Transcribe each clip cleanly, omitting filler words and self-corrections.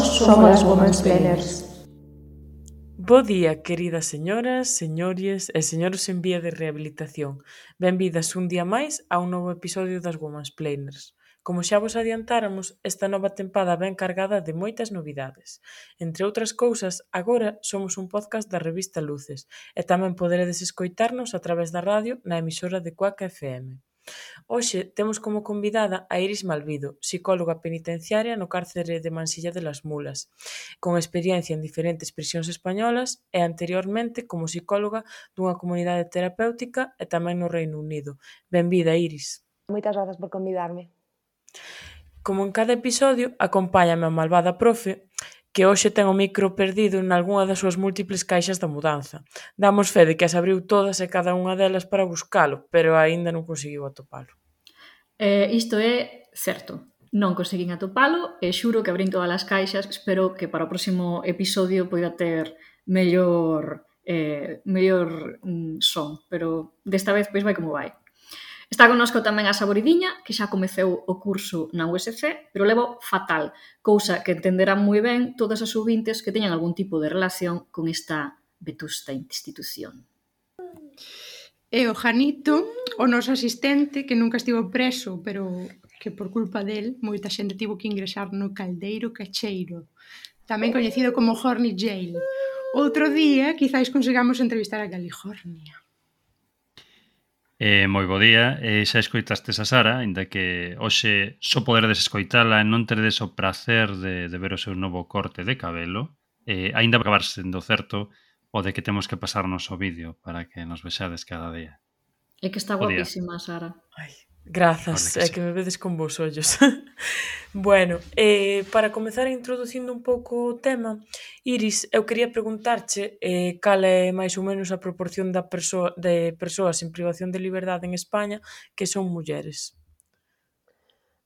somos as Womansplainers. Bo día, queridas señoras, señores e señores en vía de rehabilitación. Benvidas un día máis a un novo episodio das Womansplainers. Como xa vos adiantáramos, esta nova tempada ven cargada de moitas novidades. Entre outras cousas, agora somos un podcast da revista Luces e tamén poderedes escoitarnos a través da radio na emisora de Cuac FM. Hoxe temos como convidada a Iris Malvido, psicóloga penitenciaria no cárcere de Mansilla de las Mulas, con experiencia en diferentes prisións españolas e anteriormente como psicóloga dunha comunidade terapéutica e tamén no Reino Unido. Benvida, Iris. Moitas grazas por convidarme. Como en cada episodio, acompáñame a malvada profe, que hoxe ten o micro perdido nalgunha das súas múltiples caixas da mudanza. Damos fe de que as abriu todas e cada unha delas para buscalo, pero aínda non conseguiu atopalo. Isto é certo. Non conseguín atopalo e xuro que abrín todas as caixas. Espero que para o próximo episodio poida ter mellor son, pero desta vez pois vai como vai. Está connosco tamén a Saboridiña, que xa comeceu o curso na USC, pero levo fatal, cousa que entenderán moi ben todas as ouvintes que teñan algún tipo de relación con esta vetusta institución. E o Janito, o noso asistente, que nunca estivo preso, pero que por culpa del moita xente tivo que ingresar no caldeiro cacheiro, tamén coñecido como Horny Jail. Outro día, quizáis consigamos entrevistar a California. Moi bo día, xa escoitastes a Sara, ainda que hoxe só poderedes escoitala e non teredes o prazer de ver o seu novo corte de cabelo, ainda vai acabar sendo certo o de que temos que pasarnos o vídeo para que nos vexades cada día. É que está guapísima, Sara. Ai, grazas, é que me vedes con vos ollos. Bueno, para comezar introducindo un pouco o tema, Iris, eu quería preguntarche cal é máis ou menos a proporción de persoas en privación de liberdade en España que son mulleres.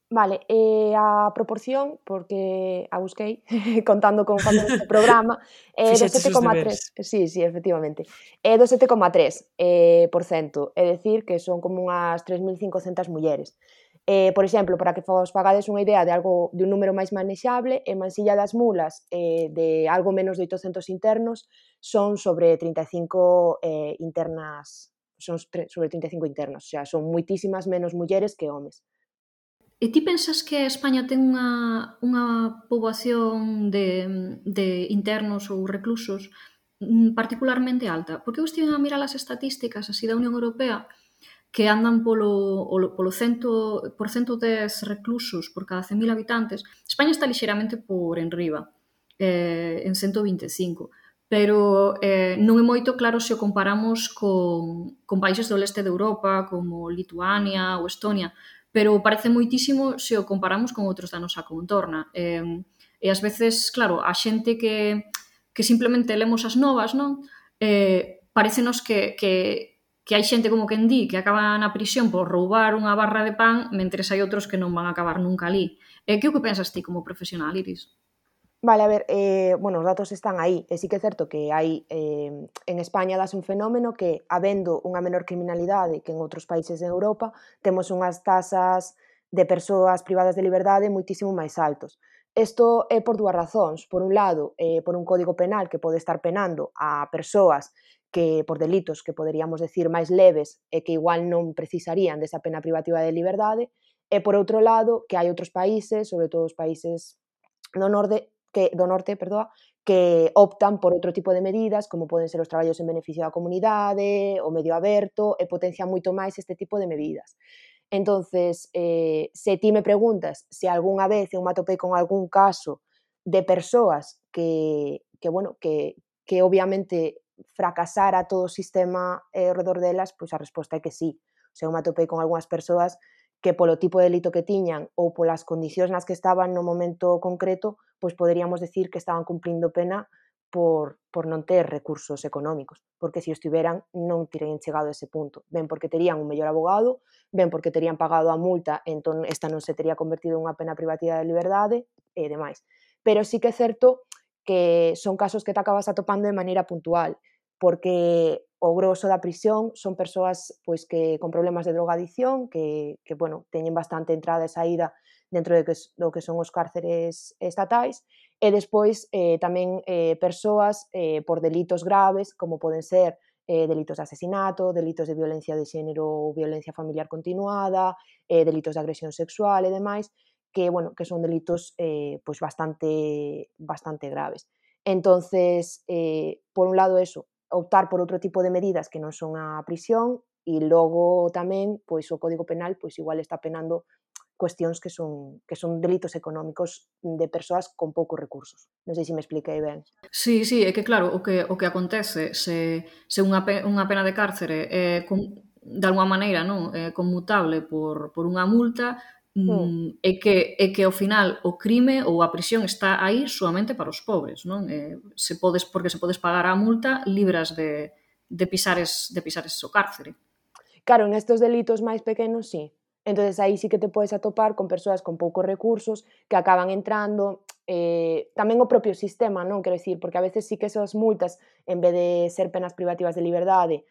Vale, a proporción, porque a busquei contando con facer este programa, do Fixeches os 7,3. deberes. Sí, efectivamente. É do 7,3%, é dicir que son como unhas 3.500 mulleres. Por exemplo, para que vos fagades unha idea de un número máis manexable, en Mansilla das Mulas, de algo menos de 800 internos, son sobre 35 internas, sobre 35 internos, o sea, son moitísimas menos mulleres que homes. E ti pensas que España ten unha poboación de internos ou reclusos particularmente alta? Porque eu estive a mirar as estatísticas así da Unión Europea que andan polo 100, por 110 reclusos por cada 100.000 habitantes. España está lixeiramente por enriba, en 125. Pero non é moito claro se o comparamos con países do leste de Europa como Lituania ou Estonia, pero parece moitísimo se o comparamos con outros da nosa contorna. E ás veces, claro, a xente que simplemente lemos as novas, non? Parécenos que hai xente como quen di que acaba na prisión por roubar unha barra de pan, mentres hai outros que non van a acabar nunca ali. Que o que pensas ti como profesional, Iris? Vale, a ver, bueno, os datos están aí, e sí que é certo que hai, en España dase un fenómeno que, habendo unha menor criminalidade que en outros países de Europa, temos unhas tasas de persoas privadas de liberdade moitísimo máis altos. Isto é por dúas razóns. Por un lado, por un código penal que pode estar penando a persoas que por delitos que poderíamos decir máis leves e que igual non precisarían desa pena privativa de liberdade, e por outro lado, que hai outros países, sobre todo os países do norte, que optan por outro tipo de medidas, como poden ser os traballos en beneficio da comunidade, o medio aberto, e potencian moito máis este tipo de medidas. Entonces, se ti me preguntas se algunha vez eu me atopei con algún caso de persoas que obviamente fracasara todo o sistema ao redor delas, pois a resposta é que sí. O sea, eu me atopei con algunhas persoas que polo tipo de delito que tiñan ou polas condicións nas que estaban no momento concreto, pois poderíamos decir que estaban cumprindo pena por non ter recursos económicos, porque se os tiveran non terían chegado a ese punto, ben porque terían un mellor abogado, ben porque terían pagado a multa, entón esta non se tería convertido en unha pena privativa de liberdade e demais. Pero sí que é certo que son casos que te acabas atopando de maneira puntual, porque o grosso da prisión son persoas pois que con problemas de drogadicción que bueno, teñen bastante entrada e saída dentro do que son os cárceres estatais E despois tamén persoas por delitos graves, como poden ser delitos de asesinato, delitos de violencia de xénero ou violencia familiar continuada, delitos de agresión sexual e demais, que, bueno, que son delitos pois bastante graves. Entonces, por un lado eso, optar por outro tipo de medidas que non son a prisión, e logo tamén pois o Código Penal pois igual está penando cuestións que son delitos económicos de persoas con poucos recursos. Non sei se me expliquei ben. Sí, sí, é que claro, o que acontece se unha pena de cárcere é de alguma maneira, non, conmutable por unha multa, Mm. é que ao final o crime ou a prisión está aí soamente para os pobres, non? Porque se podes pagar a multa, libras de pisares o cárcere. Claro, en estes delitos máis pequenos, sí. Entonces aí sí que te podes atopar con persoas con poucos recursos que acaban entrando, tamén o propio sistema, non? Quero dicir, porque a veces sí que esas multas, en vez de ser penas privativas de liberdade,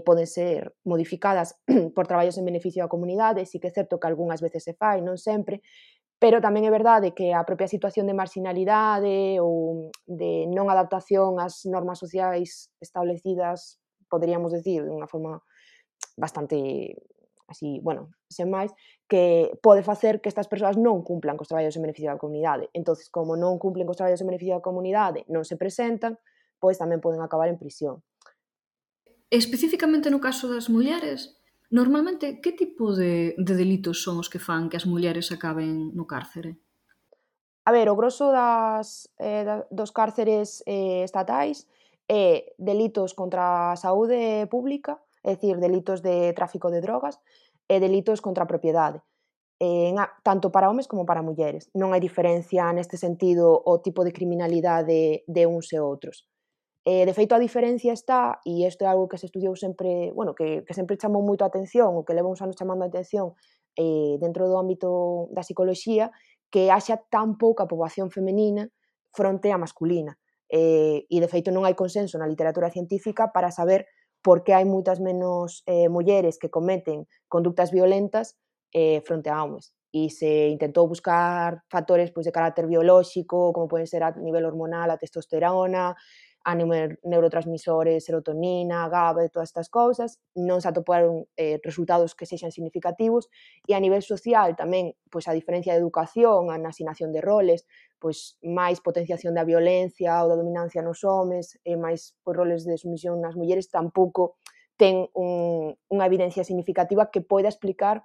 poden ser modificadas por traballos en beneficio da comunidade, sí que é certo que algunhas veces se fai, non sempre, pero tamén é verdade que a propia situación de marxinalidade ou de non adaptación ás normas sociais establecidas, poderíamos decir, de unha forma bastante así, bueno, sen máis, que pode facer que estas persoas non cumplan cos traballos en beneficio da comunidade. Entonces, como non cumplen cos traballos en beneficio da comunidade, non se presentan, pois tamén poden acabar en prisión. Especificamente no caso das mulleres, normalmente que tipo de delitos son os que fan que as mulleres acaben no cárcere? A ver, o grosso dos cárceres estatais é delitos contra a saúde pública, é dicir, delitos de tráfico de drogas e delitos contra a propiedade. Tanto para homes como para mulleres. Non hai diferencia neste sentido o tipo de criminalidade de uns e outros. De feito, a diferencia está, e isto é algo que se estudiou sempre, bueno, que sempre chamou moito a atención, o que leva uns anos chamando a atención dentro do ámbito da psicoloxía, que haxa tan pouca poboación femenina fronte á masculina. E, de feito, non hai consenso na literatura científica para saber por que hai moitas menos mulleres que cometen conductas violentas fronte a homes. E se intentou buscar factores pois, de carácter biolóxico, como poden ser a nivel hormonal, a testosterona, a neurotransmisores, serotonina, GABA e todas estas cousas, non se atoparon resultados que sexan significativos, e a nivel social tamén, pois a diferencia de educación, a asignación de roles, pois máis potenciación da violencia ou da dominancia nos homes, e máis pois, roles de sumisión nas mulleres, tampouco ten unha evidencia significativa que poida explicar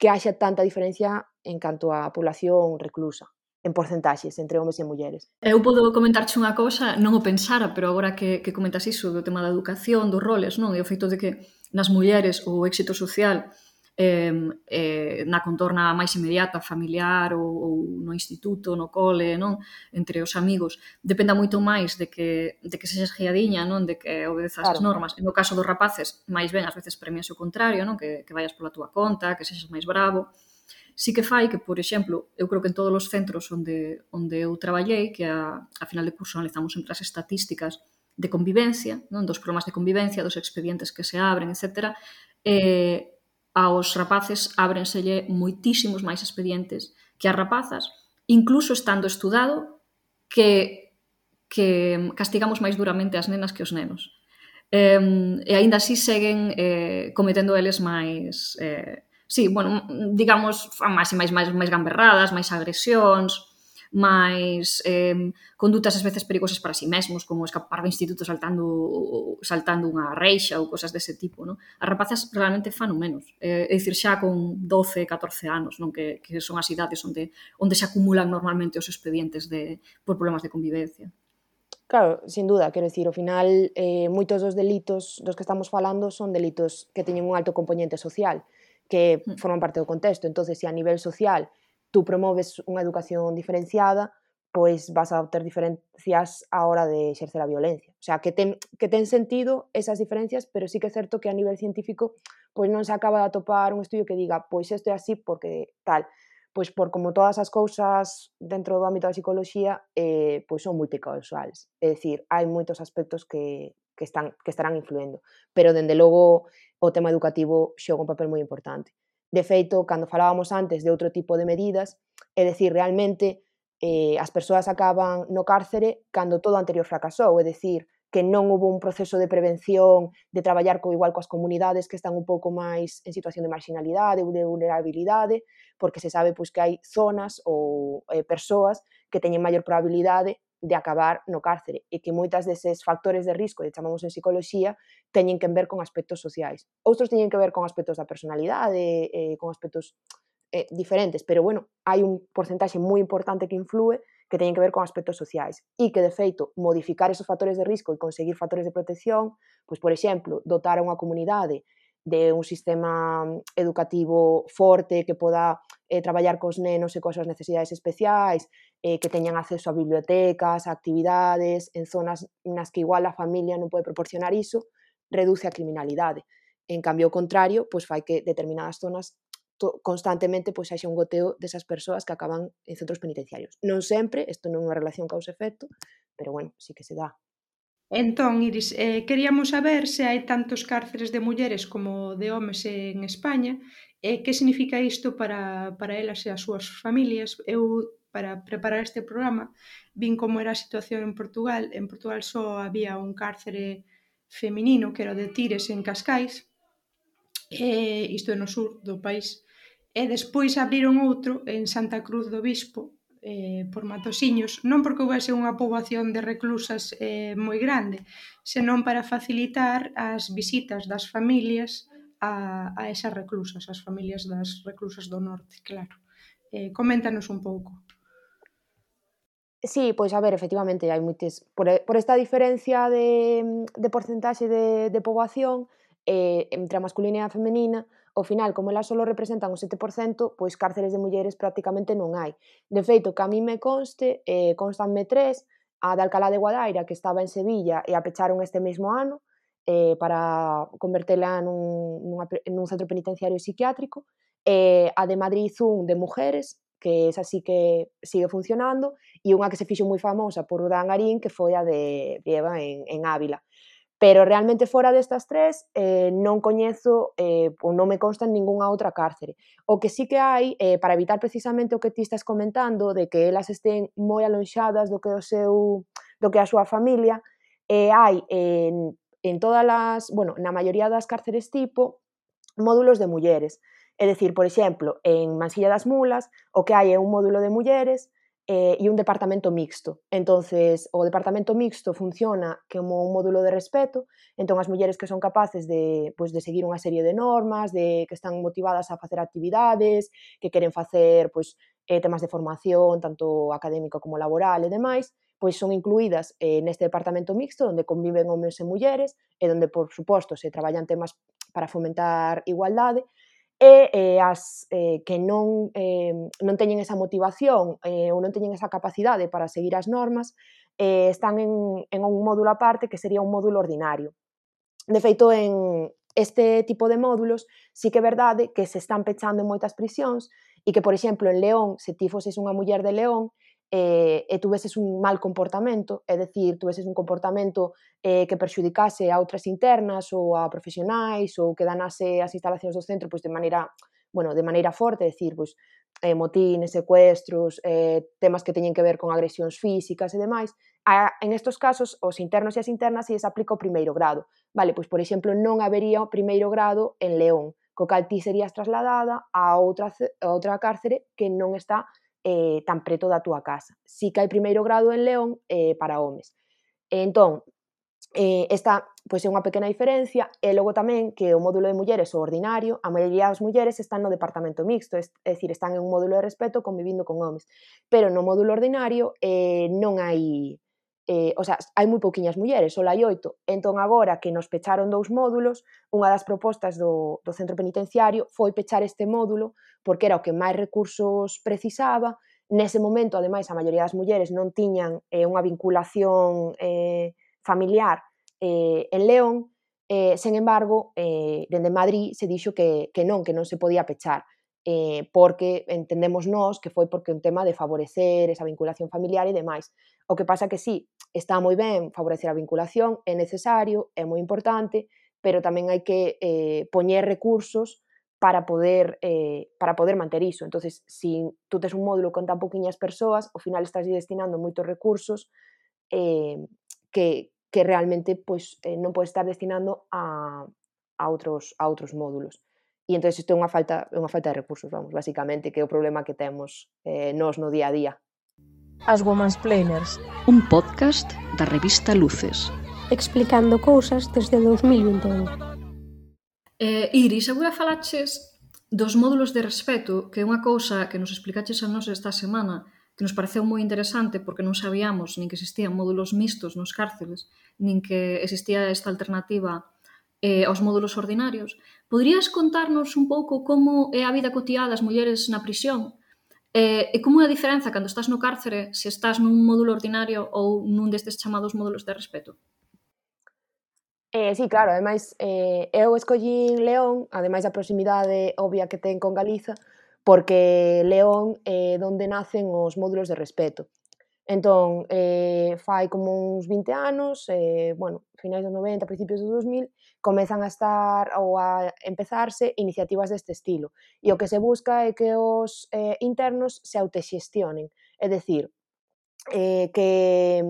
que haxa tanta diferencia en canto á población reclusa, en porcentaxes entre homes e mulleres. Eu podo comentarche unha cousa, non o pensara, pero agora que comentas iso do tema da educación, dos roles, non? E o feito de que nas mulleres o éxito social na contorna máis inmediata, familiar ou no instituto, no cole, non? Entre os amigos, dependa moito máis de que sexas guiadiña, non? De que obedezas as normas. E no caso dos rapaces, máis ben, ás veces premias o contrario, non? Que vayas pola túa conta, que sexas máis bravo. Sí que fai que, por exemplo, eu creo que en todos os centros onde eu traballei, que a final de curso analizamos sempre as estatísticas de convivencia, non? Dos problemas de convivencia, dos expedientes que se abren, etc. Aos rapaces ábrenselle moitísimos máis expedientes que as rapazas, incluso estando estudado que castigamos máis duramente as nenas que os nenos. E aínda así seguen cometendo eles máis... sí, bueno, digamos, máis gamberradas, máis agresións, máis condutas ás veces perigosas para si mesmos, como escapar do instituto saltando unha reixa ou cosas dese tipo, non? As rapazas realmente fan o menos. É dicir, xa con 12, 14 anos, non? Que son as idades onde se acumulan normalmente os expedientes por problemas de convivencia. Claro, sin duda, quero dicir, ao final, moitos dos delitos dos que estamos falando son delitos que teñen un alto componente social, que forman parte do contexto. Entonces, se a nivel social tú promoves unha educación diferenciada, pois vas a obter diferencias á hora de exercer a violencia. O sea, que ten sentido esas diferencias, pero sí que é certo que a nivel científico pois non se acaba de atopar un estudio que diga pois isto é así porque tal. Pois por como todas as cousas dentro do ámbito da psicoloxía pois son multicausales. É dicir, hai moitos aspectos que estarán influendo. Pero, dende logo, o tema educativo xoga un papel moi importante. De feito, cando falábamos antes de outro tipo de medidas, é dicir, realmente, as persoas acaban no cárcere cando todo o anterior fracasou, é dicir, que non houve un proceso de prevención, de traballar igual coas comunidades que están un pouco máis en situación de marginalidade ou de vulnerabilidade, porque se sabe pois, que hai zonas ou persoas que teñen maior probabilidade de acabar no cárcere e que moitas deses factores de risco, que chamamos en psicoloxía, teñen que ver con aspectos sociais. Outros teñen que ver con aspectos da personalidade, con aspectos diferentes, pero bueno, hai un porcentaxe moi importante que influe que teñen que ver con aspectos sociais e que, de feito, modificar esos factores de risco e conseguir factores de protección, pois, por exemplo, dotar a unha comunidade de un sistema educativo forte que poda traballar cos nenos e coas súas necesidades especiais, que teñan acceso a bibliotecas, a actividades, en zonas nas que igual a familia non pode proporcionar iso, reduce a criminalidade. En cambio, o contrario, pois fai que determinadas zonas constantemente pois haxa un goteo desas persoas que acaban en centros penitenciarios. Non sempre, isto non é unha relación causa-efecto, pero bueno, sí que se dá. Entón, Iris, queríamos saber se hai tantos cárceres de mulleres como de homes en España, e que significa isto para elas e as súas familias. Eu, para preparar este programa, vin como era a situación en Portugal. En Portugal só había un cárcere feminino, que era o de Tires, en Cascais, isto é no sur do país, e despois abriron outro en Santa Cruz do Bispo, por Matosiños, non porque houvese unha poboación de reclusas moi grande, senón para facilitar as visitas das familias a esas reclusas, as familias das reclusas do norte, claro. Coméntanos un pouco. Sí, pois a ver, efectivamente, hai moites... Por esta diferencia de porcentaxe de poboación entre a masculina e a femenina, ao final, como elas só representan o 7%, pois cárceres de mulleres prácticamente non hai. De feito, que a mí me conste, constanme 3, a de Alcalá de Guadaira, que estaba en Sevilla, e a pecharon este mesmo ano, para convertela nun centro penitenciario psiquiátrico, a de Madrid un de mujeres, que esa sí que sigue funcionando, e unha que se fixo moi famosa por Urdangarín, que foi a de Eva en Ávila. Pero realmente fora destas tres non coñezo ou non me consta en ningunha outra cárcere. O que sí que hai, para evitar precisamente o que ti estás comentando, de que elas estén moi alonxadas do que a súa familia, hai en todas as, bueno, na maioría das cárceres tipo, módulos de mulleres. É dicir, por exemplo, en Mansilla das Mulas, o que hai é un módulo de mulleres e un departamento mixto. Entonces, o departamento mixto funciona como un módulo de respeto, entón as mulleres que son capaces de seguir unha serie de normas, que están motivadas a facer actividades, que queren facer temas de formación, tanto académico como laboral e demais, pois son incluídas neste departamento mixto, onde conviven homes e mulleres, e onde, por suposto, se traballan temas para fomentar igualdade, e as que non teñen esa motivación ou non teñen esa capacidade para seguir as normas, están en un módulo aparte que sería un módulo ordinario. De feito, en este tipo de módulos sí que é verdade que se están pechando en moitas prisións e que, por exemplo, en León, se ti foses unha muller de León e tuveses un mal comportamento, é dicir, tuveses un comportamento que perxudicase a outras internas ou a profesionais ou que danase as instalacións do centro de maneira forte, é dicir, motines, secuestros, temas que teñen que ver con agresións físicas e demais, en estos casos, os internos e as internas se aplica o primeiro grado. Vale, pois, por exemplo, non habería o primeiro grado en León, co cal ti serías trasladada a outra cárcere que non está tan preto da túa casa. Si que hai primeiro grado en León para homes. Entón, esta pois, é unha pequena diferencia, e logo tamén que o módulo de mulleres o ordinario, a maioría das mulleres están no departamento mixto, é dicir, están en un módulo de respeto convivindo con homes, pero no módulo ordinario non hai... hai moi pouquiñas mulleres, só hai 8. Entón, agora que nos pecharon 2 módulos, unha das propostas do centro penitenciario foi pechar este módulo porque era o que máis recursos precisaba. Nese momento, ademais, a maioría das mulleres non tiñan unha vinculación familiar en León, sen embargo, dende Madrid se dixo que non se podía pechar, porque entendemos nós que foi porque un tema de favorecer esa vinculación familiar e demais. O que pasa que sí, está moi ben favorecer a vinculación, é necesario, é moi importante, pero tamén hai que poñer recursos para poder manter iso. Entonces, se tú tes un módulo con tan pouquiñas persoas, ao final estás destinando moitos recursos que realmente pois, non podes estar destinando a outros módulos. E entón isto é unha falta de recursos, vamos, basicamente, que é o problema que temos nós no día a día. As Womansplainers. Un podcast da revista Luces. Explicando cousas desde 2021. Iris, agora falaches dos módulos de respeto, que é unha cousa que nos explicaches a nós esta semana, que nos pareceu moi interesante porque non sabíamos nin que existían módulos mixtos nos cárceles, nin que existía esta alternativa aos módulos ordinarios. Poderías contarnos un pouco como é a vida cotiá das mulleres na prisión e como é a diferenza cando estás no cárcere se estás nun módulo ordinario ou nun destes chamados módulos de respeto? Sí, claro, ademais, eu escollín León, ademais da proximidade obvia que ten con Galiza, porque León é onde nacen os módulos de respeto. Entón, fai como uns 20 anos, finais dos 90, principios dos 2000, comezan a estar ou a empezarse iniciativas deste estilo. E o que se busca é que os internos se autoxestionen, é dicir, que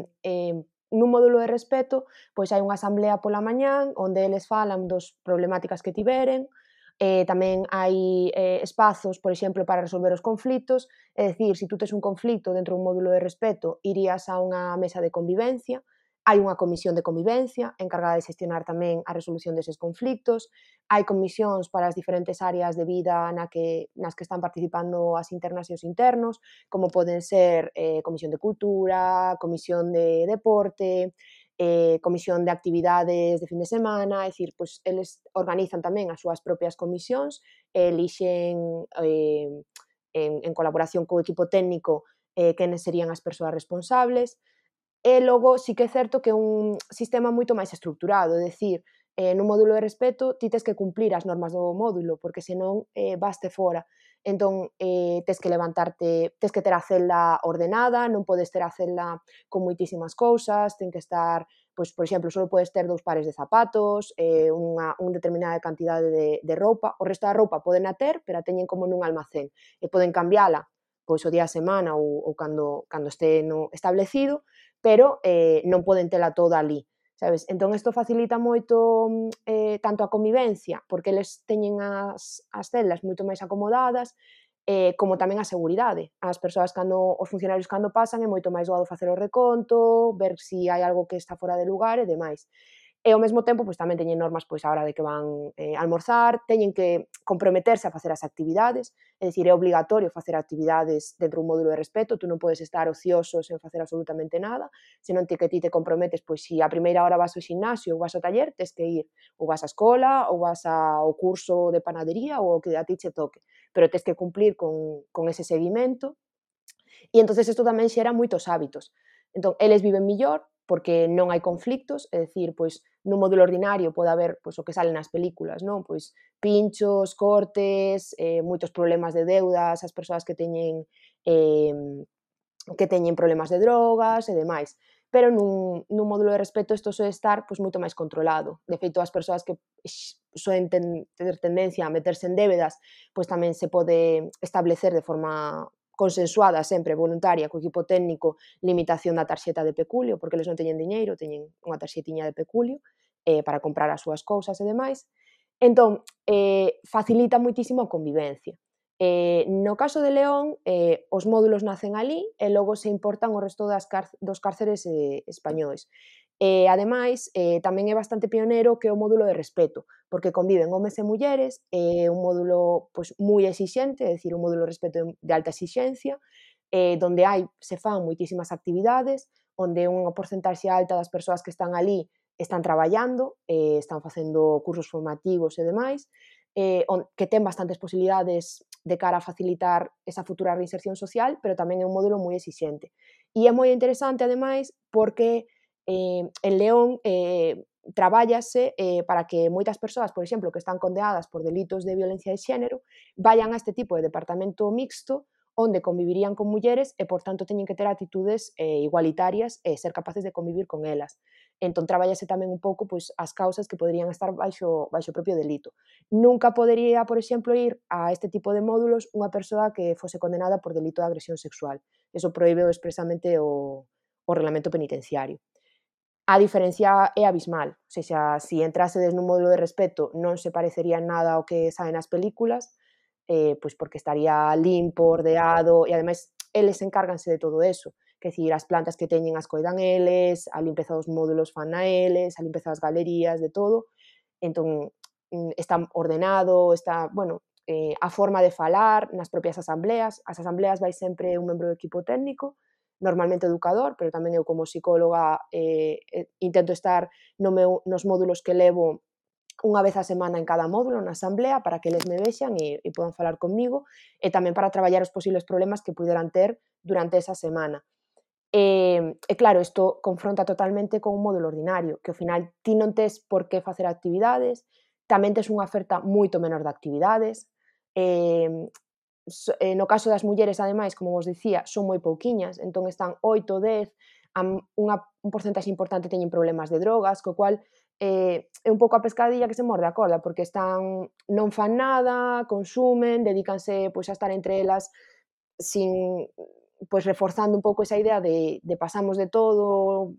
nun módulo de respeto pois hai unha asamblea pola mañán onde eles falan dos problemáticas que tiveren, tamén hai espazos, por exemplo, para resolver os conflitos, é dicir, se tú tes un conflito dentro dun módulo de respeto, irías a unha mesa de convivencia, hai unha comisión de convivencia encargada de xestionar tamén a resolución deses conflitos, hai comisións para as diferentes áreas de vida nas que están participando as internas e os internos, como poden ser comisión de cultura, comisión de deporte, comisión de actividades de fin de semana, é dicir, pois eles organizan tamén as súas propias comisións, elixen en colaboración co equipo técnico quenes serían as persoas responsables. E logo sí que é certo que é un sistema moito máis estructurado, é dicir, nun módulo de respeto ti tes que cumplir as normas do módulo, porque senón vaste fora. Entón, tes que levantarte, tes que ter a celda ordenada, non podes ter a celda con moitísimas cousas, ten que estar, pois, por exemplo, só podes ter 2 pares de zapatos, unha determinada cantidade de roupa, o resto da roupa poden a ter, pero a teñen como nun almacén, e poden cambiala pois o día a semana ou cando este establecido, pero non poden tela toda ali, sabes? Entón, isto facilita moito tanto a convivencia, porque eles teñen as celdas moito máis acomodadas, como tamén a seguridade. As persoas os funcionarios cando pasan é moito máis doado facer o reconto, ver se hai algo que está fora de lugar e demais. E ao mesmo tempo, pois tamén teñen normas pois a hora de que van almorzar, teñen que comprometerse a facer as actividades, é dicir, é obligatorio facer actividades dentro dun módulo de respeto, tú non podes estar ocioso sen facer absolutamente nada, senón que ti te comprometes, pois se a primeira hora vas ao ximnasio ou vas ao taller, tes que ir, ou vas á escola, ou vas ao curso de panadería, ou o que a ti che toque, pero tes que cumplir con ese seguimento, e entonces isto tamén xera moitos hábitos. Entón, eles viven millor, porque non hai conflictos, é dicir, pois, nun módulo ordinario pode haber pois, o que sale nas películas, non? Pois, pinchos, cortes, moitos problemas de deudas, as persoas que teñen problemas de drogas e demais. Pero nun módulo de respeto isto soe estar pois, moito máis controlado. De feito, as persoas que soen ter tendencia a meterse en débedas, pois tamén se pode establecer de forma consensuada, sempre voluntaria, co equipo técnico, limitación da tarxeta de peculio, porque eles non teñen diñeiro, teñen unha tarxetiña de peculio para comprar as súas cousas e demais. Entón, facilita moitísimo a convivencia. No caso de León, os módulos nacen ali e logo se importan o resto dos cárceres españois. Ademais, tamén é bastante pionero que o módulo de respeto, porque conviven homes e mulleres, é un módulo pois, moi exixente, é dicir, un módulo de respeto de alta exixencia, donde se fan moitísimas actividades, onde unha porcentaxe alta das persoas que están ali están traballando, están facendo cursos formativos e demais, que ten bastantes posibilidades de cara a facilitar esa futura reinserción social, pero tamén é un módulo moi exixente. E é moi interesante, ademais, porque en León trabállase para que moitas persoas, por exemplo, que están condenadas por delitos de violencia de xénero, vayan a este tipo de departamento mixto onde convivirían con mulleres e, por tanto, teñen que ter actitudes igualitarias e ser capaces de convivir con elas. Entón, traballase tamén un pouco pois, as causas que poderían estar baixo o propio delito. Nunca podería, por exemplo, ir a este tipo de módulos unha persoa que fose condenada por delito de agresión sexual. Eso proíbe expresamente o reglamento penitenciario. A diferencia é abismal, ou seja, se entrasedes nun módulo de respeto non se parecería en nada ao que sae nas películas, pois porque estaría limpo, ordeado, e ademais eles encárganse de todo eso, que dicir, as plantas que teñen as coidan eles, a limpeza dos módulos fan a eles, a limpeza das galerías, de todo, entón está ordenado, está, bueno, a forma de falar nas propias asambleas, as asambleas vai sempre un membro do equipo técnico, normalmente educador, pero tamén eu como psicóloga intento estar nos módulos que levo unha vez a semana en cada módulo na asamblea para que eles me vexan e podan falar comigo e tamén para traballar os posibles problemas que puderan ter durante esa semana. E claro, isto confronta totalmente con un módulo ordinario, que ao final ti non tes por que facer actividades, tamén tes unha oferta moito menor de actividades, no caso das mulleres, ademais, como vos dicía, son moi pouquiñas, entón están 8, 10, un porcentaxe importante teñen problemas de drogas, co cual é un pouco a pescadilla que se morde a corda, porque non fan nada, consumen, dedícanse pois, a estar entre elas sin pois reforzando un pouco esa idea de pasamos de todo,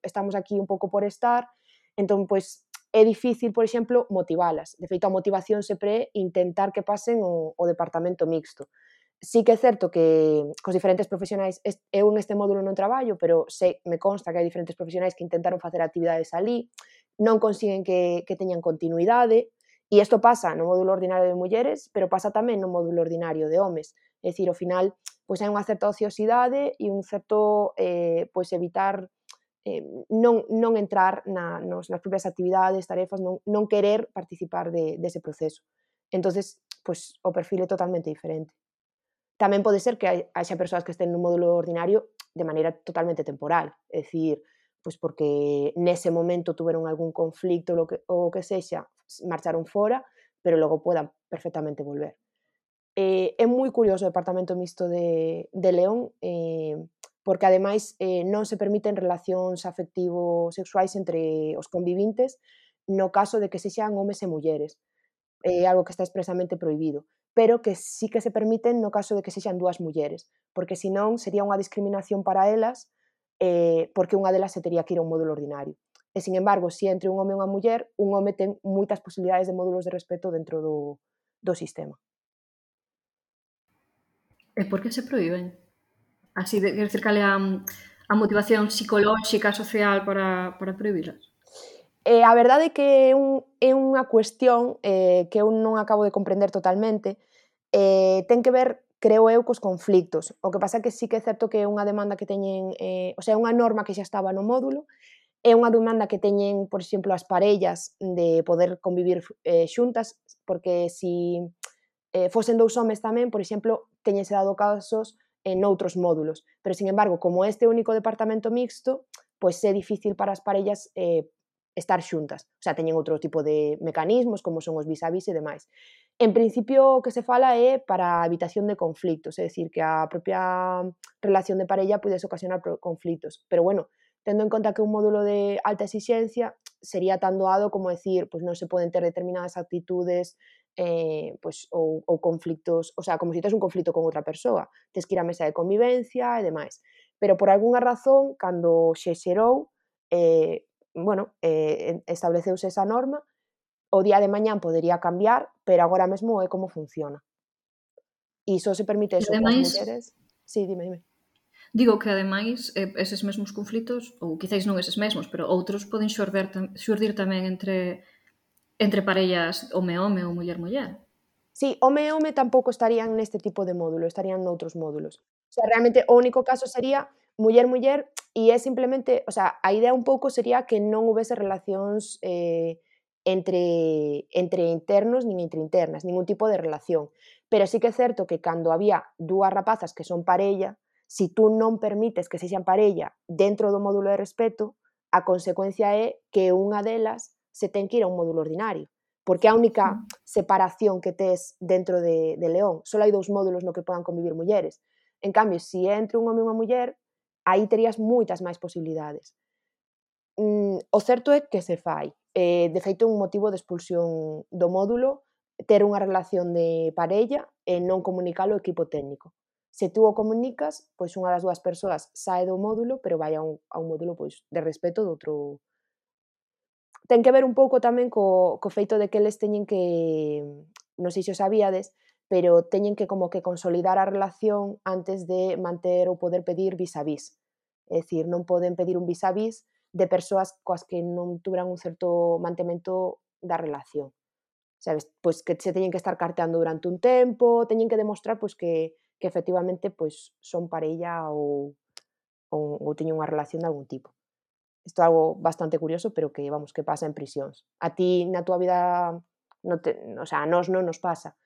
estamos aquí un pouco por estar, entón pois é difícil, por exemplo, motivalas. De feito, a motivación sempre é intentar que pasen o departamento mixto. Sí que é certo que cos diferentes profesionais, eu en este módulo non traballo, pero me consta que hai diferentes profesionais que intentaron facer actividades alí, non consiguen que teñan continuidade, e isto pasa no módulo ordinario de mulleres, pero pasa tamén no módulo ordinario de homes. É dicir, ao final, pois hai unha certa ociosidade e un certo pois evitar non entrar nas propias actividades, tarefas, non querer participar dese proceso. Entonces, pois o perfil é totalmente diferente. Tamén pode ser que haxa persoas que estén no módulo ordinario de maneira totalmente temporal, é dicir, pois porque nese momento tuveron algún conflicto ou que sexa, marcharon fora, pero logo podan perfectamente volver. É moi curioso o Departamento Mixto de León, porque ademais non se permiten relacións afectivo-sexuais entre os convivintes no caso de que sexan homes e mulleres. É algo que está expresamente prohibido, pero que sí que se permiten no caso de que sexan dúas mulleres, porque senón sería unha discriminación para elas, porque unha delas se tería que ir a un módulo ordinario. E, sin embargo, se entre un home e unha muller, un home ten moitas posibilidades de módulos de respeto dentro do sistema. E por que se proíben? Así, quer dizer, cal é a motivación psicolóxica, social para prohibilas? A verdade é que é unha cuestión que eu non acabo de comprender totalmente. Ten que ver, creo eu, cos conflictos. O que pasa é que sí que é certo que é unha demanda que teñen, o sea, é unha norma que xa estaba no módulo, é unha demanda que teñen, por exemplo, as parellas de poder convivir xuntas, porque si fosen dous homes tamén, por exemplo, teñense dado casos noutros módulos. Pero, sin embargo, como este único departamento mixto, pois é difícil para as parellas estar xuntas. O sea, teñen outro tipo de mecanismos, como son os vis-a-vis e demais. En principio, o que se fala é para a evitación de conflictos, é dicir, que a propia relación de parella pudese ocasionar conflictos. Pero, bueno, tendo en conta que un módulo de alta exixencia sería tan doado como decir, pois non se poden ter determinadas actitudes pois, ou conflictos, o sea, como se tes un conflito con outra persoa, tes que ir á mesa de convivencia e demais. Pero por algunha razón, cando se xerou, estableceuse esa norma, o día de mañán podería cambiar, pero agora mesmo é como funciona. E só se permite eso coas mulleres. Sí, dime. Digo que, ademais, eses mesmos conflitos, ou quizáis non eses mesmos, pero outros poden xurdir tamén entre parellas home-home ou muller-muller. Sí, home-home tampouco estarían neste tipo de módulo, estarían noutros módulos. O sea, realmente o único caso sería muller-muller e é simplemente, o sea, a idea un pouco sería que non houbese relacións entre internos nin entre internas, ningún tipo de relación. Pero sí que é certo que cando había dúas rapazas que son parella, si tú non permites que sexan parella dentro do módulo de respeto, a consecuencia é que unha delas se ten que ir a un módulo ordinario, porque a única separación que tes dentro de León, só hai 2 módulos no que podan convivir mulleres. En cambio, se entre un home e unha muller, aí terías moitas máis posibilidades. o certo é que se fai. De feito, un motivo de expulsión do módulo ter unha relación de parella e non comunicalo ao equipo técnico. Se tú o comunicas, pois unha das dúas persoas sae do módulo, pero vai a un módulo pois de respeto do outro. Ten que ver un pouco tamén co feito de que eles teñen que, non sei se o sabíades, pero teñen que como que consolidar a relación antes de manter ou poder pedir vis a vis. É dicir, non poden pedir un vis a vis de persoas coas que non tuveran un certo mantemento da relación. Sabes? Pois que se teñen que estar carteando durante un tempo, teñen que demostrar pois que efectivamente pois son parella ou teñen unha relación de algún tipo. Isto é algo bastante curioso, pero que, vamos, que pasa en prisións. A ti, na túa vida, o sea, a nós non nos pasa.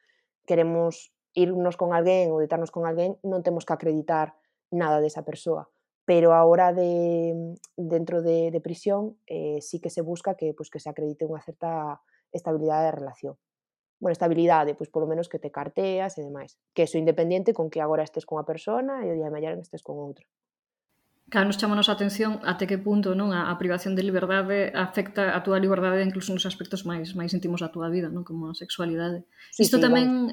Queremos irnos con alguén ou deitarnos con alguén, non temos que acreditar nada desa persoa. Pero a hora dentro de prisión, sí que se busca que, pois, que se acredite unha certa estabilidade de relación. Bueno, estabilidade, pois polo menos que te carteas e demais. Que eso independiente con que agora estes con unha persona e o día de mañá estes con outra. Claro, nos chamamos a atención até que punto non a privación de liberdade afecta a túa liberdade incluso nos aspectos máis íntimos da túa vida, non? Como a sexualidade. Sí, Isto sí, tamén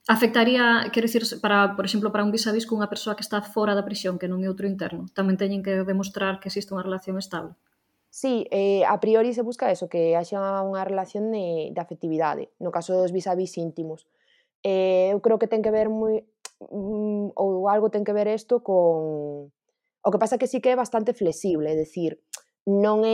afectaría, quero dicir, para, por exemplo, para un vis a vis cunha persoa que está fora da prisión, que non é outro interno. Tamén teñen que demostrar que existe unha relación estable. Sí, a priori se busca eso, que haxa unha relación de afectividade, no caso dos vis a vis íntimos. Eu creo que ten que ver ou algo ten que ver isto con... O que pasa que sí que é bastante flexible, é dicir, non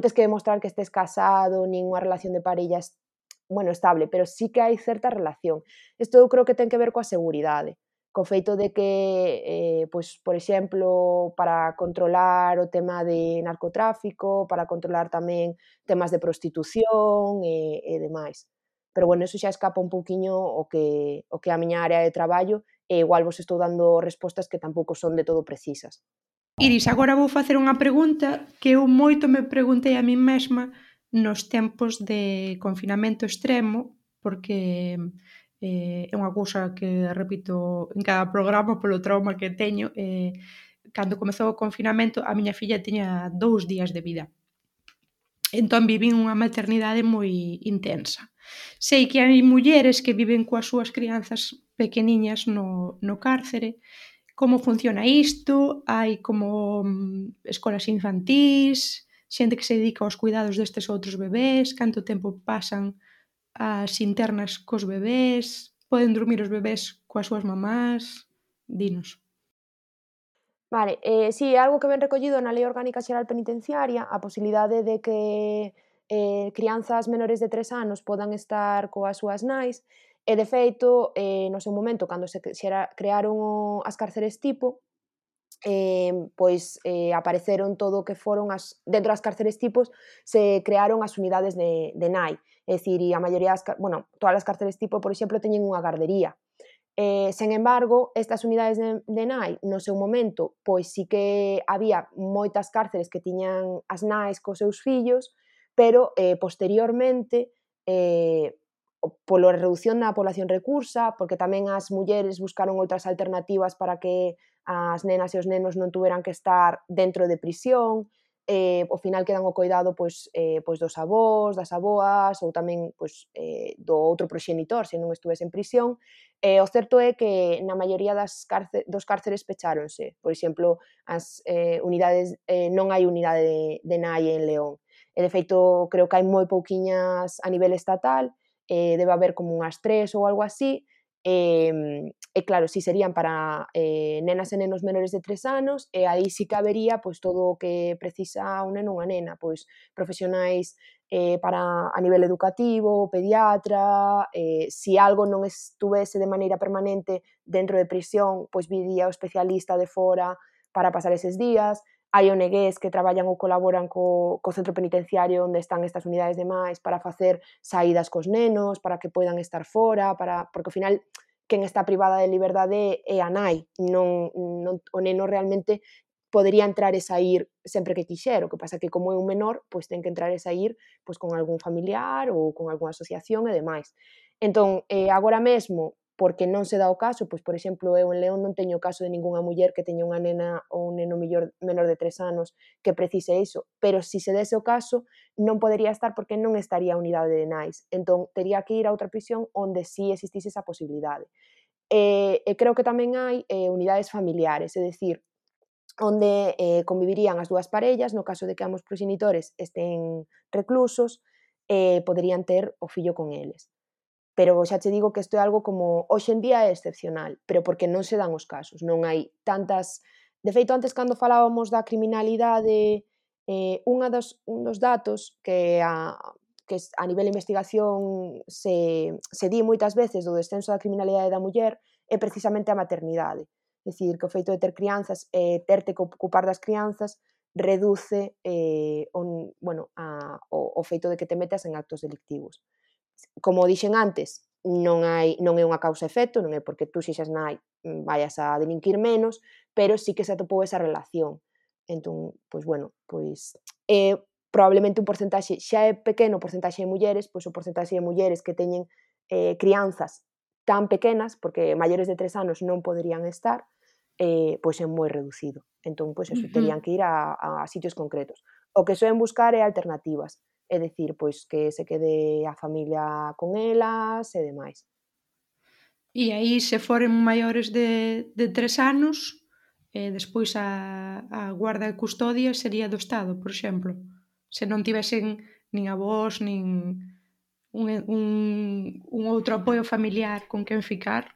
tes que demostrar que estés casado, nin unha relación de parella estable, pero sí que hai certa relación. Isto eu creo que ten que ver coa seguridade, co feito de que, pois, por exemplo, para controlar o tema de narcotráfico, para controlar tamén temas de prostitución e demais. Pero, bueno, eso xa escapa un pouquiño o que é a miña área de traballo e igual vos estou dando respostas que tampouco son de todo precisas. Iris, agora vou facer unha pregunta que eu moito me preguntei a min mesma nos tempos de confinamento extremo, porque é unha cousa que repito en cada programa polo trauma que teño. Cando comezou o confinamento, a miña filla tiña 2 días de vida. Entón vivín unha maternidade moi intensa. Sei que hai mulleres que viven coas súas crianzas pequeniñas no cárcere. Como funciona isto? Hai como escolas infantís, xente que se dedica aos cuidados destes outros bebés, canto tempo pasan as internas cos bebés, poden dormir os bebés coas súas mamás? Dinos. Vale, si, é algo que ven recollido na Lei Orgánica Xeral Penitenciaria, a posibilidade de que crianzas menores de 3 anos podan estar coas súas nais, e de feito, no seu momento, cando se crearon as cárceres tipo, apareceron todo o que foron dentro das cárceres tipos se crearon as unidades de nai, é dicir, e a maioría todas as cárceres tipo, por exemplo, teñen unha gardería. Sen embargo, estas unidades de nai, no seu momento, pois sí que había moitas cárceres que tiñan as nais cos seus fillos, pero posteriormente, pola reducción da población recursa, porque tamén as mulleres buscaron outras alternativas para que as nenas e os nenos non tuveran que estar dentro de prisión, ao final quedan ao coidado pois dos avós, das avoas ou tamén do outro proxenitor se non estuvese en prisión. O certo é que na maioría dos cárceres pecháronse. Por exemplo, as unidades, non hai unidade de nai en León. E de feito, creo que hai moi pouquiñas a nivel estatal, debe haber como unhas 3 ou algo así, e claro, si serían para nenas e nenos menores de 3 anos, e aí sí que habería pois todo o que precisa un neno ou unha nena, pois profesionais para a nivel educativo, pediatra, si algo non estuvese de maneira permanente dentro de prisión, pois viría o especialista de fora para pasar eses días. Hai ONGs que traballan ou colaboran co centro penitenciario onde están estas unidades de máis para facer saídas cos nenos, para que poidan estar fora, porque ao final quen está privada de liberdade é a nai, non o neno realmente podería entrar e saír sempre que quixer, o que pasa que como é un menor, pois ten que entrar e saír pois con algún familiar ou con algunha asociación e demais. Entón, agora mesmo, porque non se dá o caso, pois, por exemplo, eu en León non teño o caso de ningunha muller que teña unha nena ou un neno menor de 3 anos que precise iso, pero se se dese o caso, non podería estar porque non estaría a unidade de nais. Entón, tería que ir a outra prisión onde sí existise esa posibilidade. E creo que tamén hai unidades familiares, é dicir, onde convivirían as dúas parellas, no caso de que ambos proxenitores estén reclusos, poderían ter o fillo con eles. Pero xa che digo que isto é algo como hoxe en día é excepcional, pero porque non se dan os casos, non hai tantas... De feito, antes cando falábamos da criminalidade, un dos datos que a nivel de investigación se di moitas veces do descenso da criminalidade da muller é precisamente a maternidade. É dicir, que o feito de ter crianzas e terte que ocupar das crianzas reduce o feito de que te metas en actos delictivos. Como dixen antes, non é unha causa-efecto, non é porque tú sexas nai vayas a delinquir menos, pero sí que se atopou esa relación. Entón, probablemente un porcentaxe, xa é pequeno o porcentaxe de mulleres, pois o porcentaxe de mulleres que teñen crianzas tan pequenas, porque maiores de 3 anos non poderían estar, pois é moi reducido. Entón, pois eso, terían que ir a sitios concretos. O que soen buscar é alternativas, é dicir, pois que se quede a familia con elas e demais. E aí, se foren maiores de 3 anos, despois a guarda e custodia sería do Estado, por exemplo. Se non tivesen nin avós, nin un outro apoio familiar con quen ficar.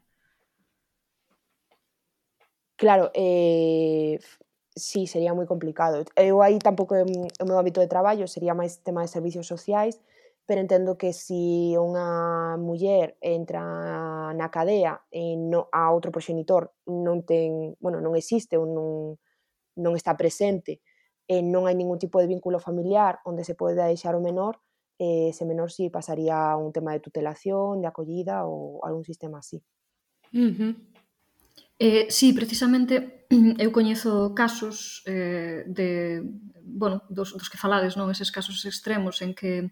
Claro, sí, sería moi complicado. Eu aí tampouco é o meu hábito de traballo, sería máis tema de servicios sociais, pero entendo que se unha muller entra na cadea e a outro proxenitor non existe ou non está presente e non hai ningún tipo de vínculo familiar onde se poida deixar o menor, ese menor sí pasaría a un tema de tutelación, de acollida ou algún sistema así. Sí, precisamente eu coñezo casos dos que falades, non? Eses casos extremos en que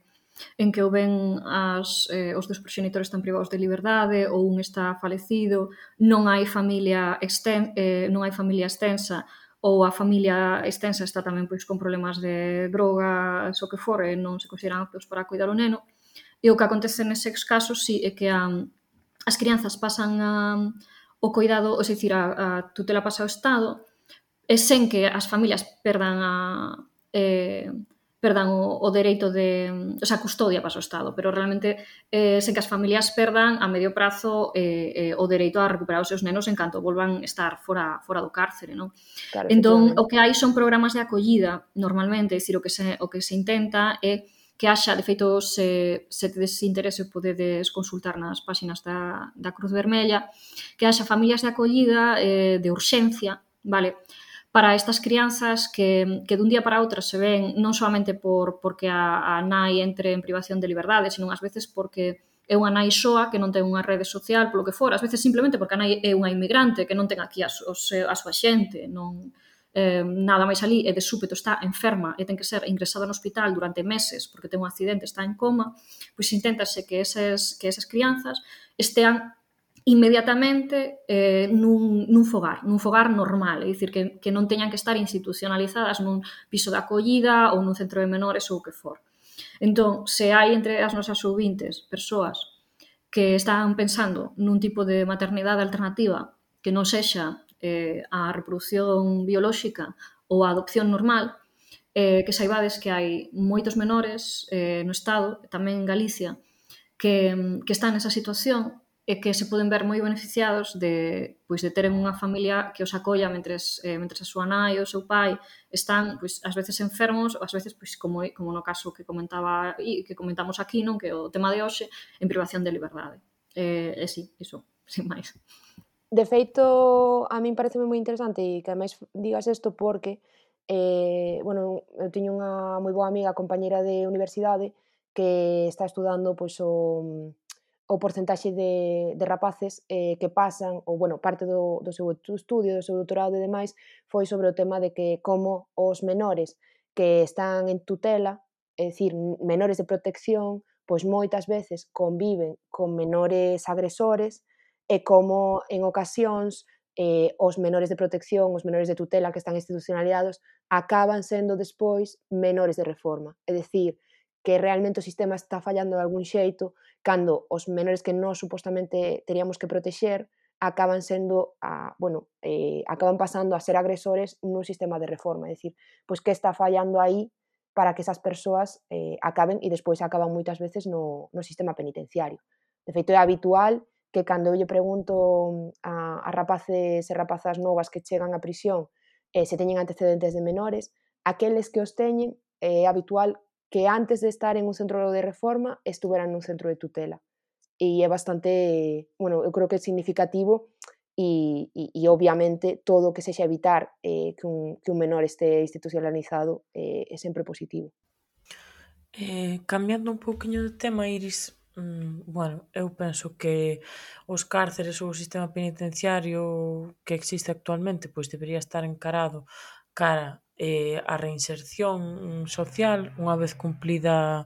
o ven os dos proxenitores están privados de liberdade ou un está falecido, non hai familia extensa ou a familia extensa está tamén pois con problemas de drogas o que for e non se consideran aptos para cuidar o neno. E o que acontece neses casos sí é que as crianzas pasan o cuidado, é dicir, a tutela pasa ao Estado e sen que as familias perdan o dereito de... O sea, a custodia pasa ao Estado, pero realmente sen que as familias perdan a medio prazo o dereito a recuperar os seus nenos en canto volvan estar fora do cárcere, non? Claro, Entón, o que hai son programas de acollida, normalmente, é dicir, o que se intenta é que haxa, de feito, se tedes interese podedes consultar nas páxinas da Cruz Vermella, que haxa familias de acollida de urxencia, vale? Para estas crianzas que dun día para outro se ven non solamente porque a nai entre en privación de liberdade, senón ás veces porque é unha nai soa que non ten unha rede social, polo que for, ás veces simplemente porque a nai é unha inmigrante que non ten aquí a súa xente, non... nada máis ali e de súpeto está enferma e ten que ser ingresada no hospital durante meses porque ten un accidente, está en coma, pois inténtase que esas crianzas estean inmediatamente nun fogar normal, é dicir, que non teñan que estar institucionalizadas nun piso de acollida ou nun centro de menores ou o que for. Entón, se hai entre as nosas ouvintes persoas que están pensando nun tipo de maternidade alternativa que non sexa a reproducción biolóxica ou a adopción normal, que saibades que hai moitos menores no Estado, tamén en Galicia, que están nesa situación e que se poden ver moi beneficiados de teren unha familia que os acolla mentres a súa nai ou o seu pai están, ás veces enfermos, ás veces, como no caso que comentamos aquí, non, que o tema de hoxe, en privación de liberdade. Sí, iso, sin máis. De feito, a min pareceme moi interesante e que ademais digas isto porque eu teño unha moi boa amiga, compañeira de universidade, que está estudando o porcentaxe de rapaces que pasan, ou parte do seu estudio, do seu doutorado e demais, foi sobre o tema de que como os menores que están en tutela, é dicir, menores de protección, pois moitas veces conviven con menores agresores e como en ocasións os menores de protección, os menores de tutela que están institucionalizados acaban sendo despois menores de reforma. É dicir, que realmente o sistema está fallando de algún xeito cando os menores que nós supostamente teríamos que protexer acaban sendo, acaban pasando a ser agresores nun sistema de reforma. É dicir, pois que está fallando aí para que esas persoas acaben e despois acaban moitas veces no sistema penitenciario. De feito, é habitual que cando eu lle pregunto a rapaces e rapazas novas que chegan á prisión se teñen antecedentes de menores, aqueles que os teñen é habitual que antes de estar en un centro de reforma estuveran nun centro de tutela. E é bastante, eu creo que é significativo e obviamente todo o que sexa evitar que un menor este institucionalizado é sempre positivo. Cambiando un pouquiño de tema, Iris, eu penso que os cárceres ou o sistema penitenciario que existe actualmente pois debería estar encarado cara á reinserción social unha vez cumplida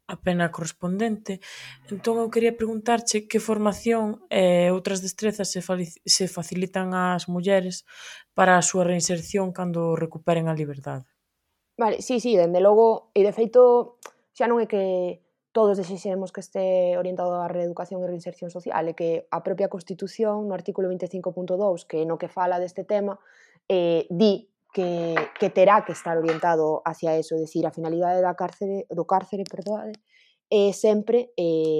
a pena correspondente. Entón eu quería preguntarche que formación e outras destrezas se facilitan ás mulleres para a súa reinserción cando recuperen a liberdade. Vale, sí, dende logo, e de feito xa non é que todos desexemos que este orientado á reeducación e reinserción social, é que a propia Constitución, no artículo 25.2, que no que fala deste tema, di que terá que estar orientado hacia eso, é dicir, a finalidade do cárcere, é sempre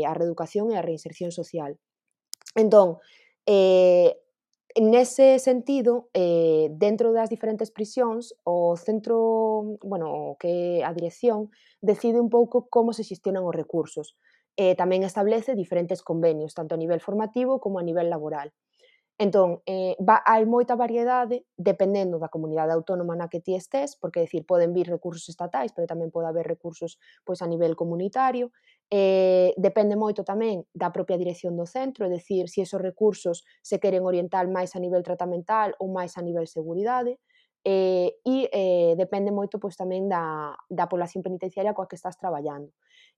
a reeducación e a reinserción social. Entón, nese sentido, dentro das diferentes prisións, o centro, que a dirección, decide un pouco como se xestionan os recursos. Tamén establece diferentes convenios, tanto a nivel formativo como a nivel laboral. Entón, hai moita variedade dependendo da comunidade autónoma na que ti estés, porque, decir, poden vir recursos estatais, pero tamén pode haber recursos pois a nivel comunitario. Depende moito tamén da propia dirección do centro, é dicir, se esos recursos se queren orientar máis a nivel tratamental ou máis a nivel seguridade. Depende moito pois tamén da población penitenciaria coa que estás traballando.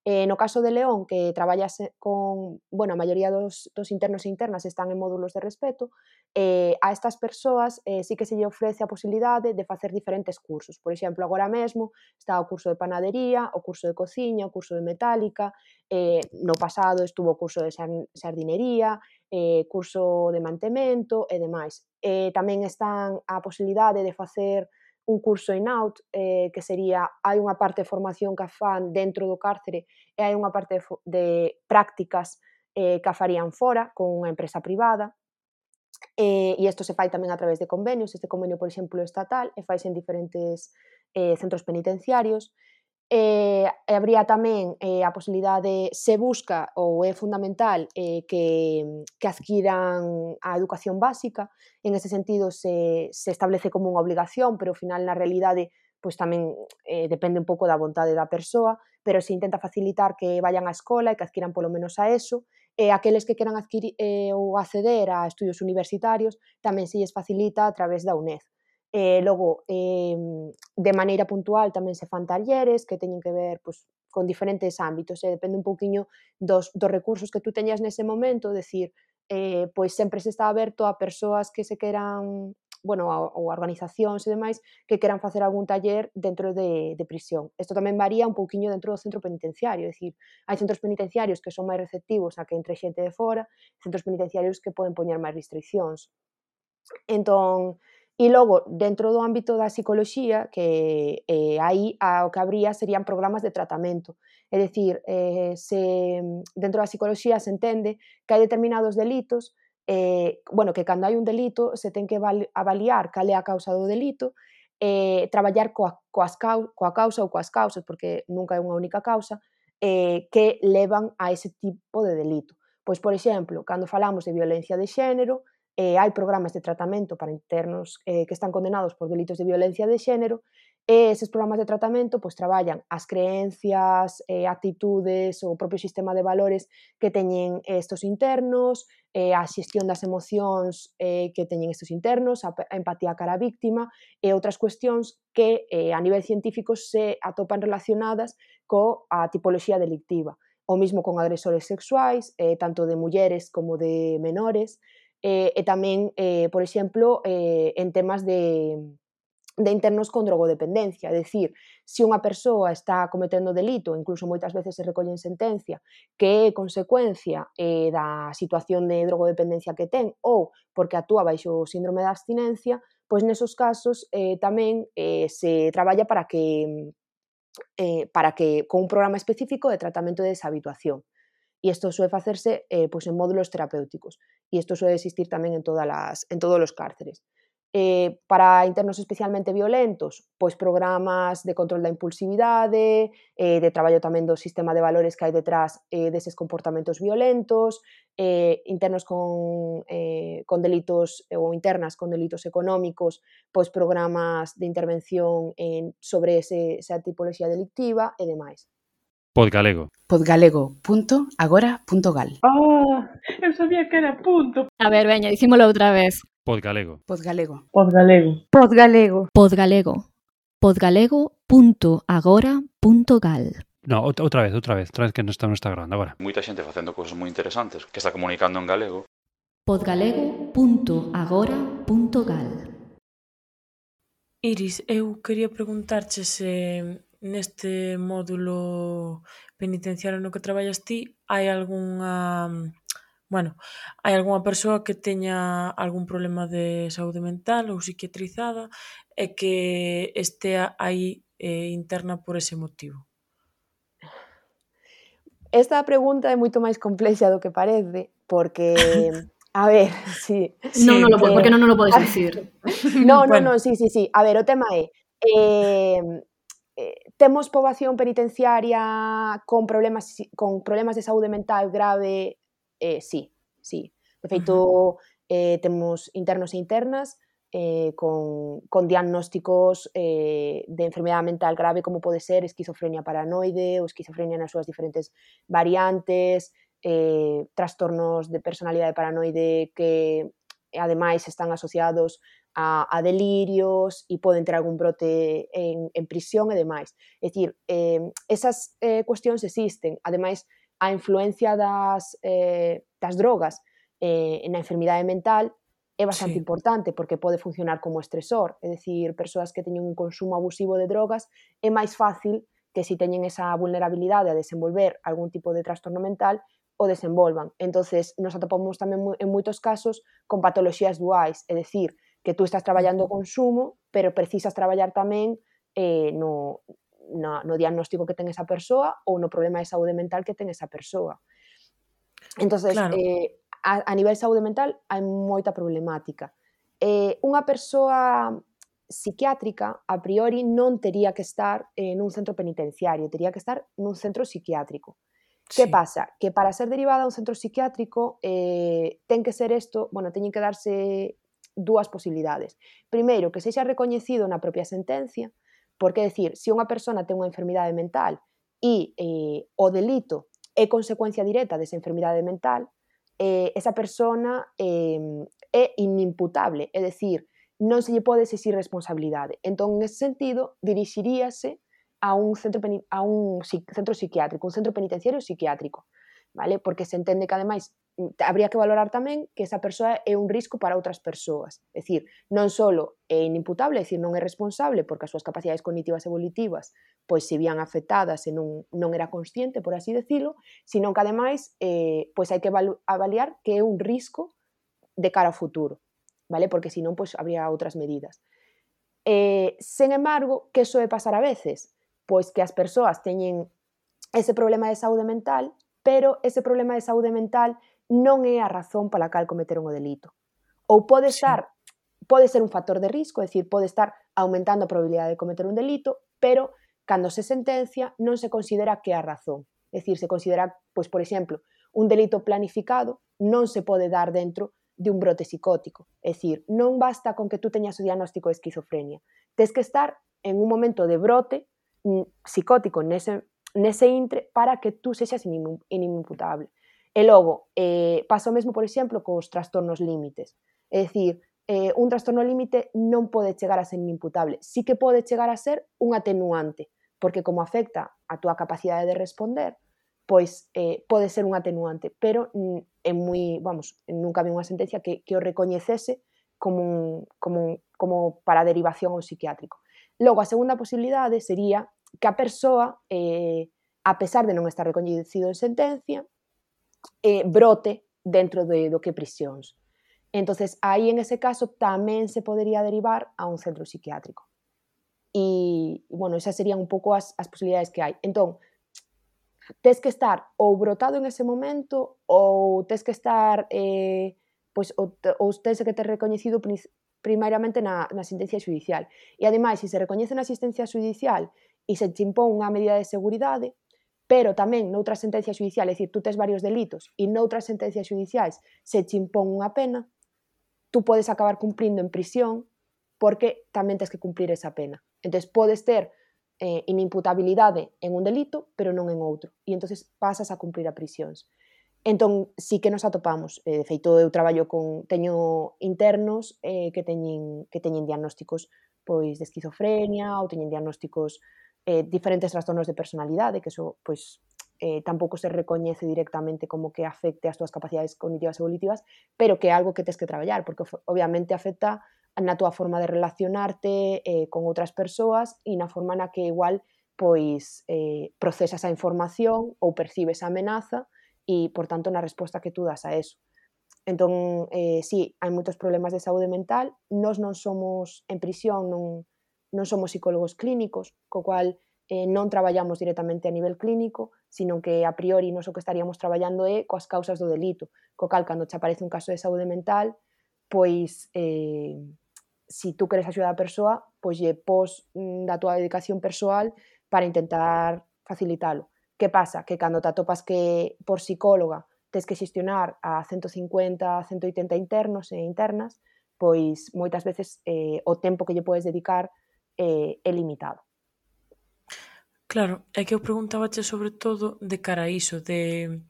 No caso de León, que traballas con, a maioría dos internos e internas están en módulos de respeto, a estas persoas sí que se lle ofrece a posibilidade de facer diferentes cursos. Por exemplo, agora mesmo está o curso de panadería, o curso de cociña, o curso de metálica, no pasado estuvo o curso de sardinería, curso de mantemento e demais. Tamén están a posibilidade de facer un curso in-out, que sería, hai unha parte de formación que fan dentro do cárcere e hai unha parte de prácticas que a farían fora, con unha empresa privada, e isto se fai tamén a través de convenios. Este convenio, por exemplo, estatal, e faise en diferentes centros penitenciarios. Habría tamén a posibilidade, se busca ou é fundamental que adquiran a educación básica. En ese sentido se establece como unha obligación, pero ao final na realidade pois tamén depende un pouco da vontade da persoa, pero se intenta facilitar que vayan á escola e que adquiran polo menos a ESO, e aqueles que queran adquirir ou acceder a estudios universitarios tamén se lles facilita a través da UNED. Logo, de maneira puntual tamén se fan talleres que teñen que ver con diferentes ámbitos, depende un pouquiño dos recursos que tú teñas nese momento, decir, pois sempre se está aberto a persoas que se queran, ou organizacións e demais, que queran facer algún taller dentro de prisión. Isto tamén varía un pouquiño dentro do centro penitenciario, é dicir, hai centros penitenciarios que son máis receptivos a que entre xente de fora, centros penitenciarios que poden poñer máis restriccións. Entón, e logo, dentro do ámbito da psicoloxía, que aí o que habría serían programas de tratamento. É dicir, dentro da psicoloxía se entende que hai determinados delitos, que cando hai un delito se ten que avaliar cal é a causa do delito, traballar coa causa ou coas causas, porque nunca é unha única causa, que levan a ese tipo de delito. Pois, por exemplo, cando falamos de violencia de xénero, hai programas de tratamento para internos que están condenados por delitos de violencia de xénero, e eses programas de tratamento pois traballan as creencias, actitudes, o propio sistema de valores que teñen estos internos, a xestión das emocións que teñen estes internos, a empatía cara a víctima e outras cuestións que a nivel científico se atopan relacionadas coa tipoloxía delictiva. o mismo con agresores sexuais, tanto de mulleres como de menores, e tamén, por exemplo, en temas de internos con drogodependencia, é dicir, se unha persoa está cometendo delito, incluso moitas veces se recolle en sentencia, que é consecuencia da situación de drogodependencia que ten ou porque actúa baixo o síndrome da abstinencia, pois nesos casos tamén se traballa para que con un programa específico de tratamento de deshabituación. E isto suele facerse pois en módulos terapéuticos. E isto suele existir tamén en todos os cárceres. Para internos especialmente violentos, pois programas de control da impulsividade, de traballo tamén do sistema de valores que hai detrás deses comportamentos violentos, internos con delitos ou internas con delitos económicos, pois programas de intervención sobre esa tipoloxía delictiva e demais. Podgalego. Podgalego.agora.gal. Eu sabía que era punto. A ver, veña, dicímolo outra vez. Podgalego. Podgalego. Podgalego. Podgalego. Podgalego. Podgalego.agora.gal. No, outra vez que non está grabando agora. Moita xente facendo cousas moi interesantes que está comunicando en galego. Podgalego.agora.gal. Iris, eu quería preguntarche se neste módulo penitenciario no que traballas ti hai algunha persoa que teña algún problema de saúde mental ou psiquiatrizada e que estea aí interna por ese motivo. Esta pregunta é moito máis complexa do que parece, porque, a ver, sí. Non, porque non lo podes dicir. No, sí. A ver, o tema é, temos poboación penitenciaria con problemas de saúde mental grave? Sí. De feito, temos internos e internas con diagnósticos de enfermedade mental grave como pode ser esquizofrenia paranoide ou esquizofrenia nas súas diferentes variantes, trastornos de personalidade paranoide que ademais están asociados a delirios e poden ter algún brote en prisión e demais. É dicir, esas cuestións existen. Ademais, a influencia das drogas na enfermidade mental é bastante importante porque pode funcionar como estresor. É dicir, persoas que teñen un consumo abusivo de drogas é máis fácil que se teñen esa vulnerabilidade a desenvolver algún tipo de trastorno mental o desenvolvan. Entonces, nos atopamos tamén en moitos casos con patoloxías duais, é dicir, que tú estás traballando o consumo, pero precisas traballar tamén no diagnóstico que ten esa persoa ou no problema de saúde mental que ten esa persoa. Entonces, Claro. A nivel saúde mental hai moita problemática. Unha persoa psiquiátrica, a priori, non tería que estar nun centro penitenciario, tería que estar nun centro psiquiátrico. Que pasa? Que para ser derivada a un centro psiquiátrico ten que ser isto, teñen que darse dúas posibilidades. Primeiro, que sexa recoñecido na propia sentencia, porque, decir, se unha persona ten unha enfermidade mental e o delito é consecuencia directa desa enfermidade mental, esa persona é inimputable, é dicir, non se lle pode exixir responsabilidade. Entón, en ese sentido, dirixiríase a un centro psiquiátrico, un centro penitenciario psiquiátrico, vale? Porque se entende que, ademais, habría que valorar tamén que esa persoa é un risco para outras persoas. É dicir, non só é inimputable, é dicir, non é responsable porque as súas capacidades cognitivas e volitivas pois se vían afectadas e non era consciente, por así decirlo, sino que, ademais, pois hai que avaliar que é un risco de cara ao futuro, vale? Porque senón pois habría outras medidas. Sen embargo, que soe pasar a veces? Pois que as persoas teñen ese problema de saúde mental, pero ese problema de saúde mental non é a razón pola cal cometeron o delito. Ou pode ser un factor de risco, é dicir, pode estar aumentando a probabilidade de cometer un delito, pero cando se sentencia non se considera que é a razón. É dicir, se considera, pois, por exemplo, un delito planificado non se pode dar dentro de un brote psicótico. É dicir, non basta con que tú teñas o diagnóstico de esquizofrenia. Tes que estar en un momento de brote psicótico nese intre para que tú sexas inimputable. E logo, pasa o mesmo, por exemplo, cos trastornos límites. É dicir, un trastorno límite non pode chegar a ser inimputable. Sí que pode chegar a ser un atenuante, porque como afecta a túa capacidade de responder, pois pode ser un atenuante, pero nunca vi unha sentencia que o recoñecese como para derivación ao psiquiátrico. Logo, a segunda posibilidade sería que a persoa, a pesar de non estar recoñecido en sentencia, brote dentro do que prisións. Entonces, aí en ese caso tamén se podería derivar a un centro psiquiátrico. E, bueno, esas serían un pouco as posibilidades que hai. Entón, tes que estar ou brotado en ese momento ou tes que estar ou tes que ter recoñecido primeiramente na sentencia xudicial. E ademais, se recoñece na asistencia xudicial e se te impón unha medida de seguridade, pero tamén noutras sentencias xudiciais, é dicir, tú tes varios delitos e noutras sentencias xudiciais se te impón unha pena, tú podes acabar cumprindo en prisión porque tamén tes que cumprir esa pena. Entón, podes ter inimputabilidade en un delito, pero non en outro. E entonces pasas a cumprir a prisións. Entón, sí que nos atopamos. De feito, eu teño internos que teñen diagnósticos pois de esquizofrenia ou teñen diagnósticos diferentes trastornos de personalidade, que eso pois tampouco se recoñece directamente como que afecte as túas capacidades cognitivas e volitivas, pero que é algo que tes que traballar, porque obviamente afecta na túa forma de relacionarte con outras persoas e na forma na que igual pois procesas a información ou percibes a amenaza e, por tanto, na resposta que tú das a eso. Entón, sí, hai moitos problemas de saúde mental. Nós non somos, en prisión, non somos psicólogos clínicos, co cual non traballamos directamente a nivel clínico, sino que a priori nos o que estaríamos traballando é coas causas do delito. Co cal, cando te aparece un caso de saúde mental, pois si tú queres axudar a persoa, pois lle pos da túa dedicación persoal para intentar facilitalo. Que pasa? Que cando te atopas que por psicóloga tes que xestionar a 150, 180 internos e internas, pois moitas veces o tempo que lle podes dedicar é limitado. Claro, é que eu preguntábache sobre todo de cara a iso, de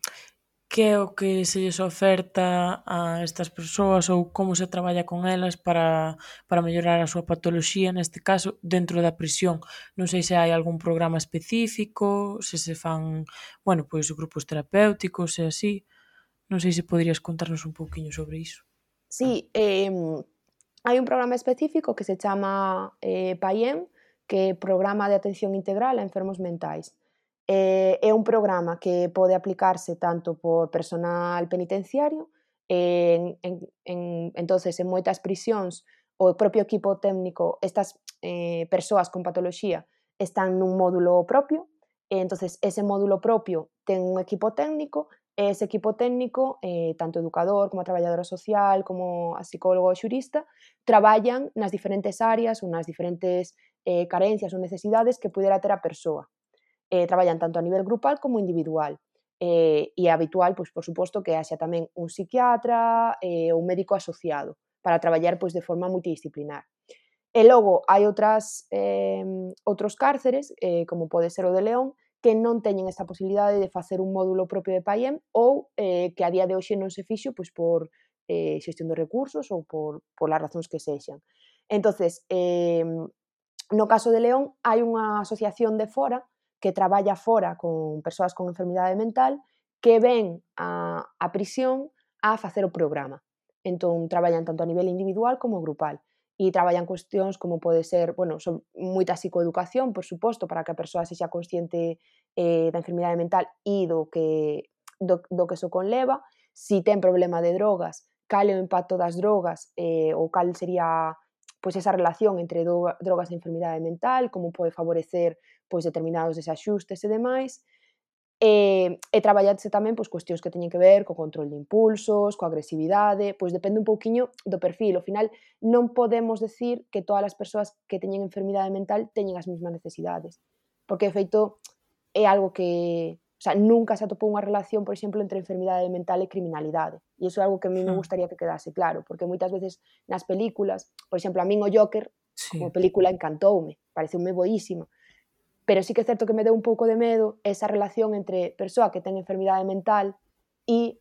que é o que se lles oferta a estas persoas ou como se traballa con elas para mellorar a súa patoloxía, neste caso, dentro da prisión. Non sei se hai algún programa específico, se fan, bueno, pois grupos terapéuticos e así. Non sei se poderías contarnos un pouquiño sobre iso. Sí, hai un programa específico que se chama PAIEM, que é Programa de Atención Integral a Enfermos Mentais. É un programa que pode aplicarse tanto por personal penitenciario, entonces en moitas prisións o propio equipo técnico, estas persoas con patoloxía están nun módulo propio, e entonces ese módulo propio ten un equipo técnico, e ese equipo técnico, tanto educador como a traballadora social, como a psicólogo ou xurista, traballan nas diferentes áreas ou nas diferentes carencias ou necesidades que pudera ter a persoa. Traballan tanto a nivel grupal como individual. E é habitual, pois, por suposto, que haxa tamén un psiquiatra ou un médico asociado para traballar pois, de forma multidisciplinar. E logo hai outros cárceres, como pode ser o de León, que non teñen esta posibilidade de facer un módulo propio de PAIEM ou que a día de hoxe non se fixo pois, por xestión de recursos ou por as razóns que sexan. Entonces, no caso de León, hai unha asociación de fora que traballa fora con persoas con enfermidade mental que ven a prisión a facer o programa. Entón, traballan tanto a nivel individual como grupal. E traballan cuestións como pode ser, bueno, son moita psicoeducación, por suposto, para que a persoa sexa consciente da enfermidade mental e do que eso conleva. Si ten problema de drogas, cal é o impacto das drogas ou cal sería pois esa relación entre drogas e enfermidade mental, como pode favorecer pois determinados desaxustes e demais, e traballarse tamén pois cuestións que teñen que ver co control de impulsos, coa agresividade, pois depende un pouquiño do perfil. Ao final non podemos decir que todas as persoas que teñen enfermidade mental teñen as mesmas necesidades, porque de feito é algo que, nunca se atopou unha relación, por exemplo, entre enfermidade mental e criminalidade. E iso é algo que a mí me gustaría que quedase claro, porque moitas veces nas películas, por exemplo, a min o Joker, como película encantoume, pareceume boísima, pero sí que é certo que me deu un pouco de medo esa relación entre persoa que ten enfermidade mental e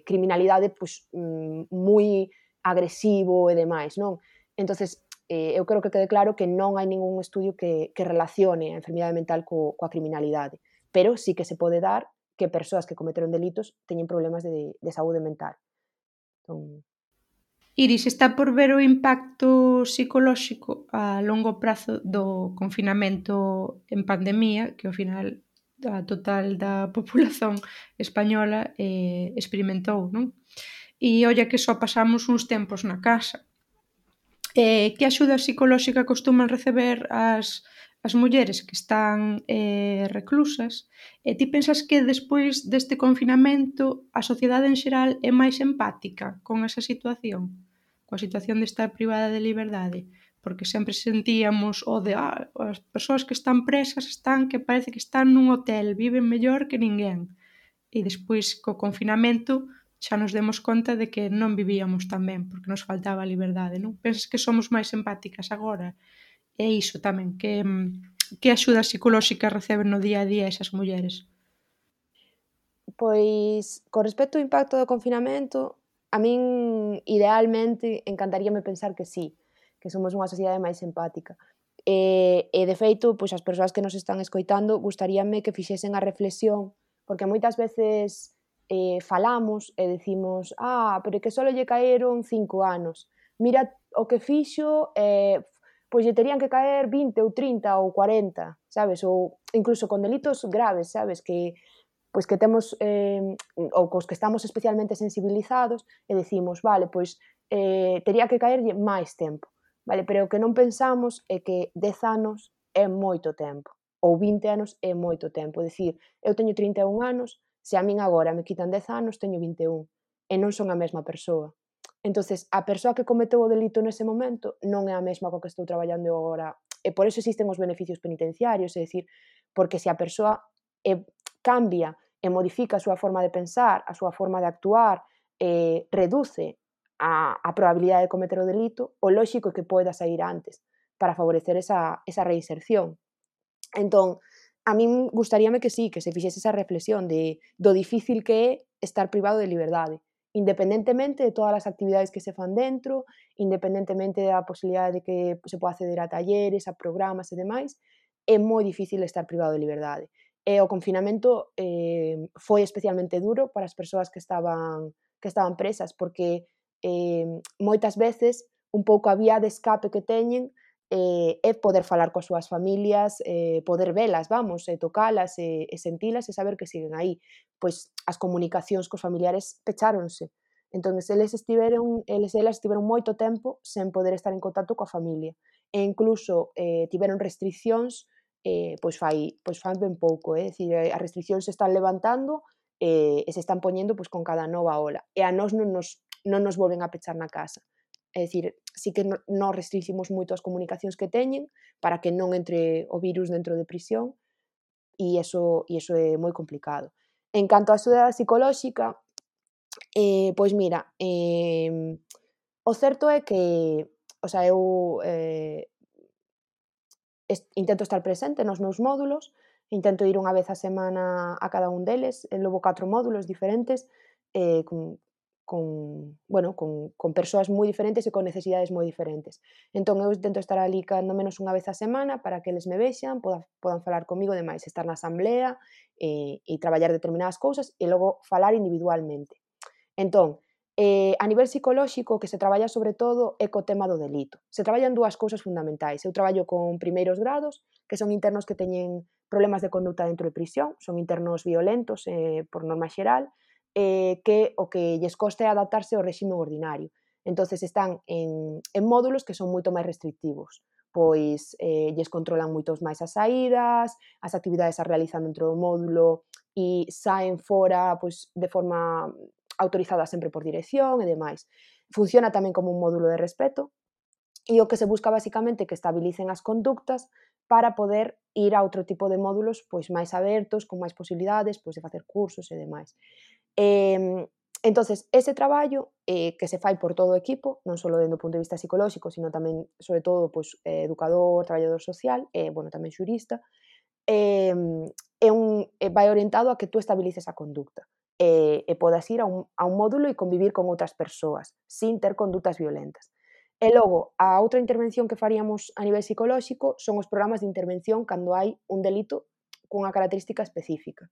criminalidade pois, moi agresivo e demais, non? Entonces, eu creo que quede claro que non hai ningún estudio que relacione a enfermidade mental coa criminalidade. pero sí que se pode dar que persoas que cometeron delitos teñen problemas de saúde mental. Entón, Iris, está por ver o impacto psicolóxico a longo prazo do confinamento en pandemia, que ao final a total da populación española experimentou, non? E olla que só pasamos uns tempos na casa. Que axuda psicolóxica costuman receber as mulleres que están reclusas? E ti pensas que despois deste confinamento a sociedade en xeral é máis empática con esa situación? Coa situación de estar privada de liberdade? Porque sempre sentíamos o de as persoas que están presas están que parece que están nun hotel, viven mellor que ninguén. E despois co confinamento xa nos demos conta de que non vivíamos tan ben, porque nos faltaba a liberdade, non? Pensas que somos máis empáticas agora? E iso tamén, que axuda psicolóxica receben no día a día esas mulleres? Pois, con respecto ao impacto do confinamento, a min idealmente encantaríame pensar que sí, que somos unha sociedade máis empática. E de feito, pois as persoas que nos están escoitando gustaríame que fixesen a reflexión, porque moitas veces falamos e decimos pero que só lle caeron 5 anos. Mira o que fixo, pois lle terían que caer 20 ou 30 ou 40, sabes? Ou incluso con delitos graves, sabes? Pois que temos ou cos que estamos especialmente sensibilizados e decimos, vale, pois tería que caerlle máis tempo, vale, pero o que non pensamos é que 10 anos é moito tempo, ou 20 anos é moito tempo, é dicir, eu teño 31 anos, se a min agora me quitan 10 anos, teño 21, e non son a mesma persoa. Entonces, a persoa que cometeu o delito nese momento non é a mesma coa que estou traballando eu agora, e por eso existen os beneficios penitenciarios, é dicir, porque se a persoa cambia e modifica a súa forma de pensar, a súa forma de actuar, reduce a probabilidade de cometer o delito, o lóxico é que poida sair antes para favorecer esa reinserción. Entón, a min gustaríame que sí, que se fixese esa reflexión do difícil que é estar privado de liberdade, independentemente de todas as actividades que se fan dentro, independentemente da posibilidade de que se poda acceder a talleres, a programas e demais, é moi difícil estar privado de liberdade. E o confinamento foi especialmente duro para as persoas que estaban presas, porque moitas veces un pouco a vía de escape que teñen é poder falar coas súas familias, poder velas, vamos, tocalas e sentilas e saber que siguen aí. Pois as comunicacións cos familiares pecháronse. Entón, elas estiveron moito tempo sen poder estar en contacto coa familia. E incluso tiveron restriccións pois fai ben pouco, é dicir, as restriccións se están levantando e se están poñendo pois con cada nova ola. E a nós non nos volven a pechar na casa. É dicir, sí que nos restringimos moito as comunicacións que teñen para que non entre o virus dentro de prisión e iso é moi complicado. En canto á axuda psicolóxica, pois mira, o certo é que, o sea, eu intento estar presente nos meus módulos, intento ir unha vez a semana a cada un deles, levo 4 módulos diferentes, con persoas moi diferentes e con necesidades moi diferentes. Entón, eu intento estar ali cando menos unha vez a semana para que eles me vexan, podan falar comigo, demais, estar na asamblea e traballar determinadas cousas e logo falar individualmente. Entón, a nivel psicolóxico, o que se traballa sobre todo é co tema do delito. Se traballan dúas cousas fundamentais. Eu traballo con primeiros grados, que son internos que teñen problemas de conduta dentro de prisión, son internos violentos por norma xeral, que o que lles costa é adaptarse ao réxime ordinario. Entonces están en módulos que son moito máis restrictivos, pois lles controlan moitos máis as saídas, as actividades as realizan dentro do módulo e saen fora pois de forma autorizada sempre por dirección e demais. Funciona tamén como un módulo de respeto e o que se busca basicamente é que estabilicen as conductas para poder ir a outro tipo de módulos pois máis abertos, con máis posibilidades pois de facer cursos e demais. Entonces, ese traballo que se fai por todo o equipo, non só dende o punto de vista psicolóxico, sino tamén, sobre todo, pois, educador, traballador social e, tamén xurista, vai orientado a que tú estabilices a conducta e podas ir a un módulo e convivir con outras persoas sin ter condutas violentas. E logo, a outra intervención que faríamos a nivel psicolóxico son os programas de intervención cando hai un delito cunha característica específica.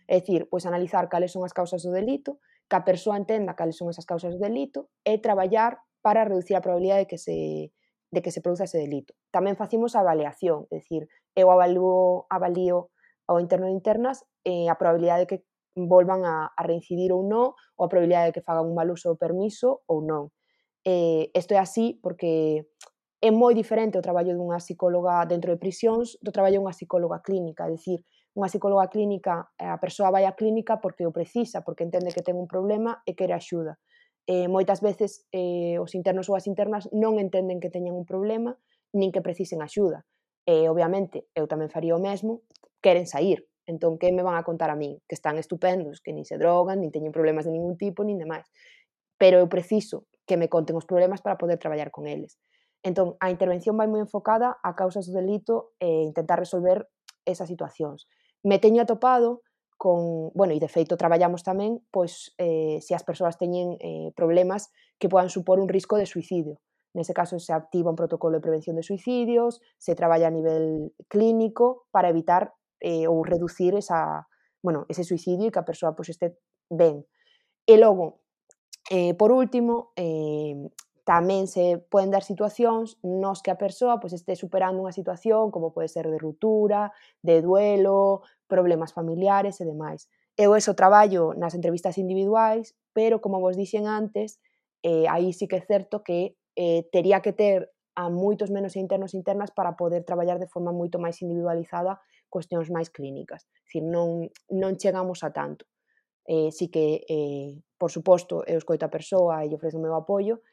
É dicir, pois analizar cales son as causas do delito, que a persoa entenda cales son esas causas do delito e traballar para reducir a probabilidade de que se produza ese delito. Tamén facimos a avaliación, é dicir, eu avalío ao interno de internas a probabilidade de que volvan a reincidir ou non, ou a probabilidade de que fagan un mal uso do permiso ou non. Isto é así porque é moi diferente o traballo dunha psicóloga dentro de prisións do traballo dunha psicóloga clínica, é dicir, unha psicóloga clínica, a persoa vai á clínica porque o precisa, porque entende que ten un problema e quere axuda. Moitas veces os internos ou as internas non entenden que teñan un problema nin que precisen axuda. Obviamente, eu tamén faría o mesmo, queren sair. Entón, que me van a contar a min? Que están estupendos, que nin se drogan, nin teñen problemas de ningún tipo, nin demais. Pero eu preciso que me conten os problemas para poder traballar con eles. Entón, a intervención vai moi enfocada a causas do delito e intentar resolver esas situacións. Me teño atopado con, bueno, e de feito traballamos tamén, pois, se as persoas teñen problemas que podan supor un risco de suicidio. Nese caso, se activa un protocolo de prevención de suicidios, se traballa a nivel clínico para evitar ou reducir ese suicidio e que a persoa pois, este ben. E logo, por último, tamén se poden dar situacións nos que a persoa pois, este superando unha situación como pode ser de ruptura, de duelo, problemas familiares e demais. Eu eso traballo nas entrevistas individuais, pero como vos dixen antes, aí sí que é certo que tería que ter a moitos menos internos e internas para poder traballar de forma moito máis individualizada cuestións máis clínicas. Dicir, non chegamos a tanto. Sí que, por suposto, eu escoito a persoa e lle ofrezo o meu apoio,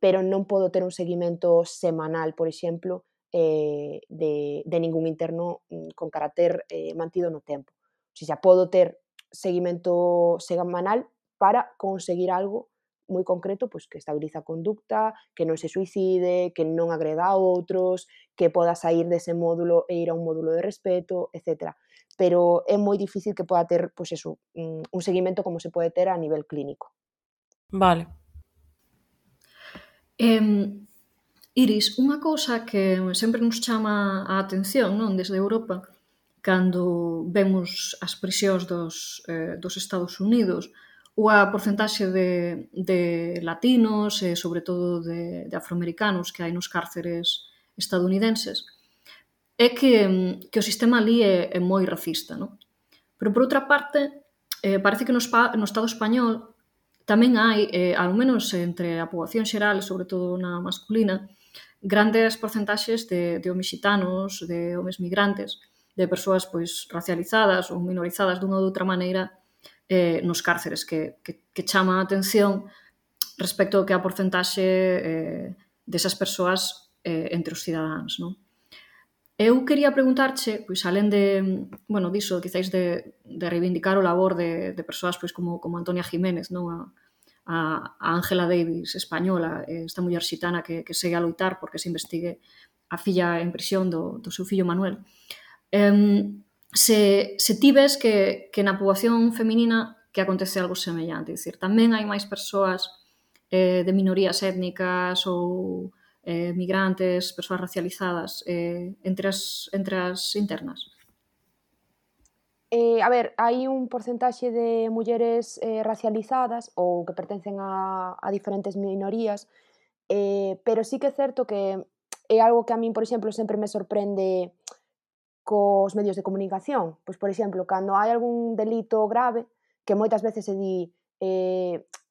pero non podo ter un seguimento semanal, por exemplo, de ningún interno con carácter mantido no tempo. O sea, podo ter seguimento semanal para conseguir algo moi concreto, pois que estabiliza a conducta, que non se suicide, que non agreda a outros, que poda sair dese módulo e ir a un módulo de respeto, etc. Pero é moi difícil que poda ter, pois eso, un seguimento como se pode ter a nivel clínico. Vale. Iris, unha cousa que sempre nos chama a atención, non, desde Europa, cando vemos as prisións dos Estados Unidos ou a porcentaxe de latinos e, sobre todo, de afroamericanos que hai nos cárceres estadounidenses, é que o sistema ali é moi racista, non? Pero, por outra parte, parece que no Estado español tamén hai, ao menos entre a poboación xeral, sobre todo na masculina, grandes porcentaxes de homes xitanos, de homes migrantes, de persoas pois racializadas ou minorizadas dunha ou outra maneira nos cárceres, que chama a atención respecto ao que a porcentaxe desas persoas entre os cidadáns, non? Eu quería preguntarche, pois alén diso, quizáis de reivindicar o labor de persoas pois como Antonia Jiménez, non? A Ángela Davis española, esta muller xitana que segue a loitar porque se investigue a filla en prisión do seu fillo Manuel. Se ti ves que na poboación feminina que acontece algo semellante, dicir, tamén hai máis persoas de minorías étnicas ou migrantes, persoas racializadas entre as internas? A ver, hai un porcentaxe de mulleres racializadas ou que pertencen a diferentes minorías, pero sí que é certo que é algo que a min, por exemplo, sempre me sorprende cos medios de comunicación. Pois, por exemplo, cando hai algún delito grave, que moitas veces se di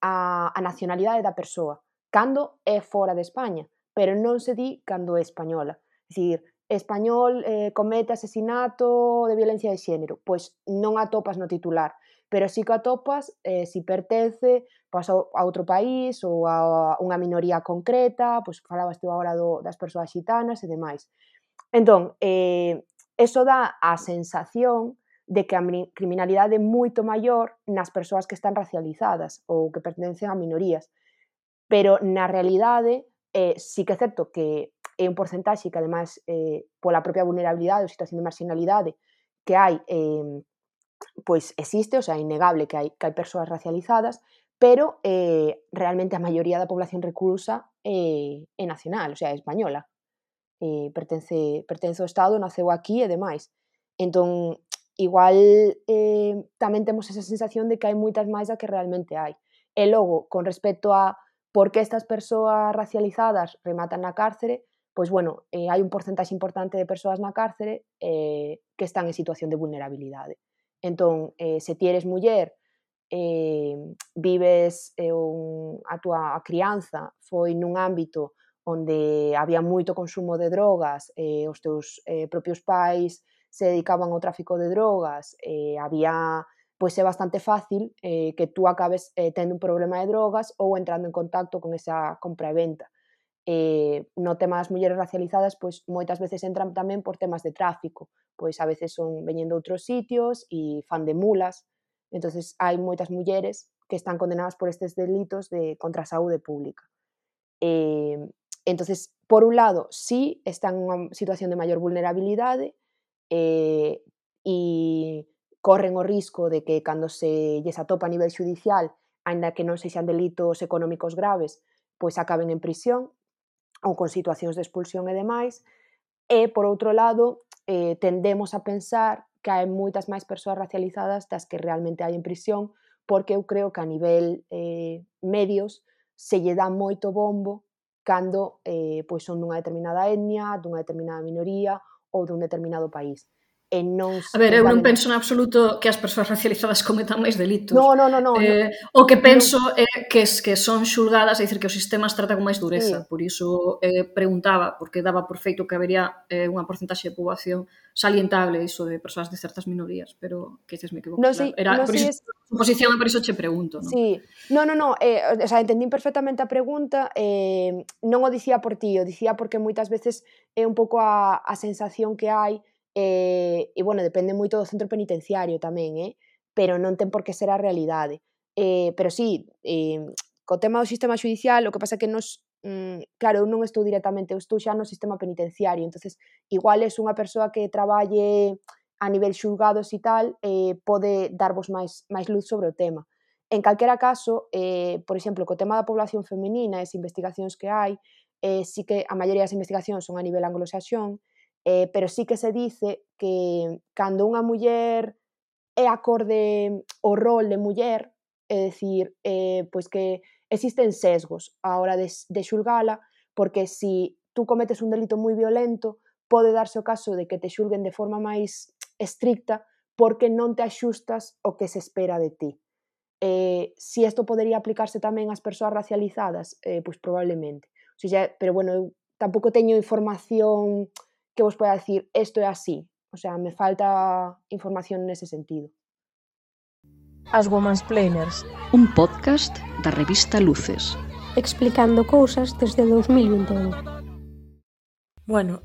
a nacionalidade da persoa, cando é fora de España, pero non se di cando é española. É dicir, español comete asesinato de violencia de xénero, pois non atopas no titular, pero sí que atopas si pertence pois, a outro país ou a unha minoría concreta, pois falabas tú agora das persoas xitanas e demais. Entón, eso dá a sensación de que a criminalidade é moito maior nas persoas que están racializadas ou que pertencen a minorías, pero na realidade sí que é certo que é un porcentaxe que, ademais, pola propia vulnerabilidade ou situación de marginalidade que hai, pois existe, o sea, é innegable que hai persoas racializadas, pero realmente a maioría da población reclusa é nacional, o sea, é española. Pertence ao Estado, naceu aquí e demais. Entón, igual tamén temos esa sensación de que hai moitas máis da que realmente hai. E logo, con respecto a por que estas persoas racializadas rematan na cárcere, pois bueno, hai un porcentaxe importante de persoas na cárcere que están en situación de vulnerabilidade. Entón, se ti eres muller, vives a túa crianza foi nun ámbito onde había moito consumo de drogas, os teus propios pais se dedicaban ao tráfico de drogas, había, pois é bastante fácil que tú acabes tendo un problema de drogas ou entrando en contacto con esa compra e venta. No tema das mulleres racializadas, pois moitas veces entran tamén por temas de tráfico, pois a veces son veñen de outros sitios e fan de mulas, entonces hai moitas mulleres que están condenadas por estes delitos contra a saúde pública. Entonces, por un lado, sí están nunha situación de maior vulnerabilidade, e corren o risco de que cando se lles atopa a nivel xudicial, aínda que non sexan delitos económicos graves, pois acaben en prisión ou con situacións de expulsión e demais. E, por outro lado, tendemos a pensar que hai moitas máis persoas racializadas das que realmente hai en prisión, porque eu creo que a nivel medios se lle dá moito bombo cando pois son dunha determinada etnia, dunha determinada minoría ou dun determinado país. E non A ver, en eu non cambio penso en absoluto que as persoas racializadas cometan máis delitos. no, O que penso é que son xulgadas, é dicir, que o sistema as trata con máis dureza. Sí. Por iso preguntaba, porque daba por feito que habería unha porcentaxe de poboación salientable iso de persoas de certas minorías, pero quizás me equivoco, Non claro. sei, Era non por sei iso a posición e por iso che pregunto, non? Sí, no, o sea, entendín perfectamente a pregunta, non o dicía por ti, o dicía porque moitas veces é un pouco a sensación que hai, e bueno, depende moito do centro penitenciario tamén, pero non ten por que ser a realidade. Pero sí, co tema do sistema xudicial, o que pasa é que claro, eu non estou directamente, eu estou xa no sistema penitenciario, entonces igual es unha persoa que traballe a nivel xulgados e tal, pode darvos máis luz sobre o tema. En calquera caso, por exemplo, co tema da población feminina e as investigacións que hai, sí que a maioría das investigacións son a nivel anglosaxón, pero sí que se dice que cando unha muller é acorde o rol de muller, é dicir, pois que existen sesgos á hora de xulgala, porque si tú cometes un delito moi violento, pode darse o caso de que te xulguen de forma máis estricta porque non te axustas o que se espera de ti. Si isto podería aplicarse tamén ás persoas racializadas, pois probablemente. O sea, pero bueno, eu tampouco teño información que vos poida dicir isto é así. O sea, me falta información nese sentido. As Womansplainers. Un podcast da revista Luces. Explicando cousas desde 2021. Bueno,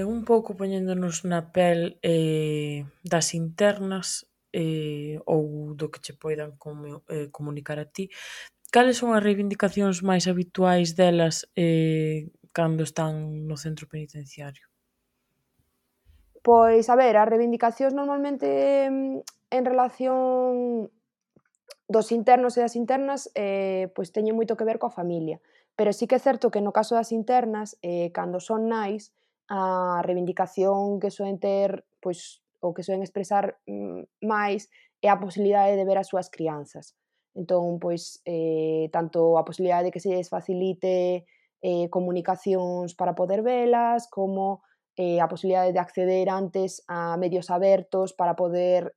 un pouco poñéndonos na pel das internas ou do que che poidan comunicar a ti, cales son as reivindicacións máis habituais delas cando están no centro penitenciario? Pois, a ver, as reivindicacións normalmente en relación dos internos e das internas pois teñen moito que ver coa familia. Pero sí que é certo que no caso das internas, cando son nais, a reivindicación que soen ter, pois, ou que soen expresar máis é a posibilidade de ver as súas crianzas. Entón, pois, tanto a posibilidade de que se lles facilite comunicacións para poder velas, como a posibilidade de acceder antes a medios abertos para poder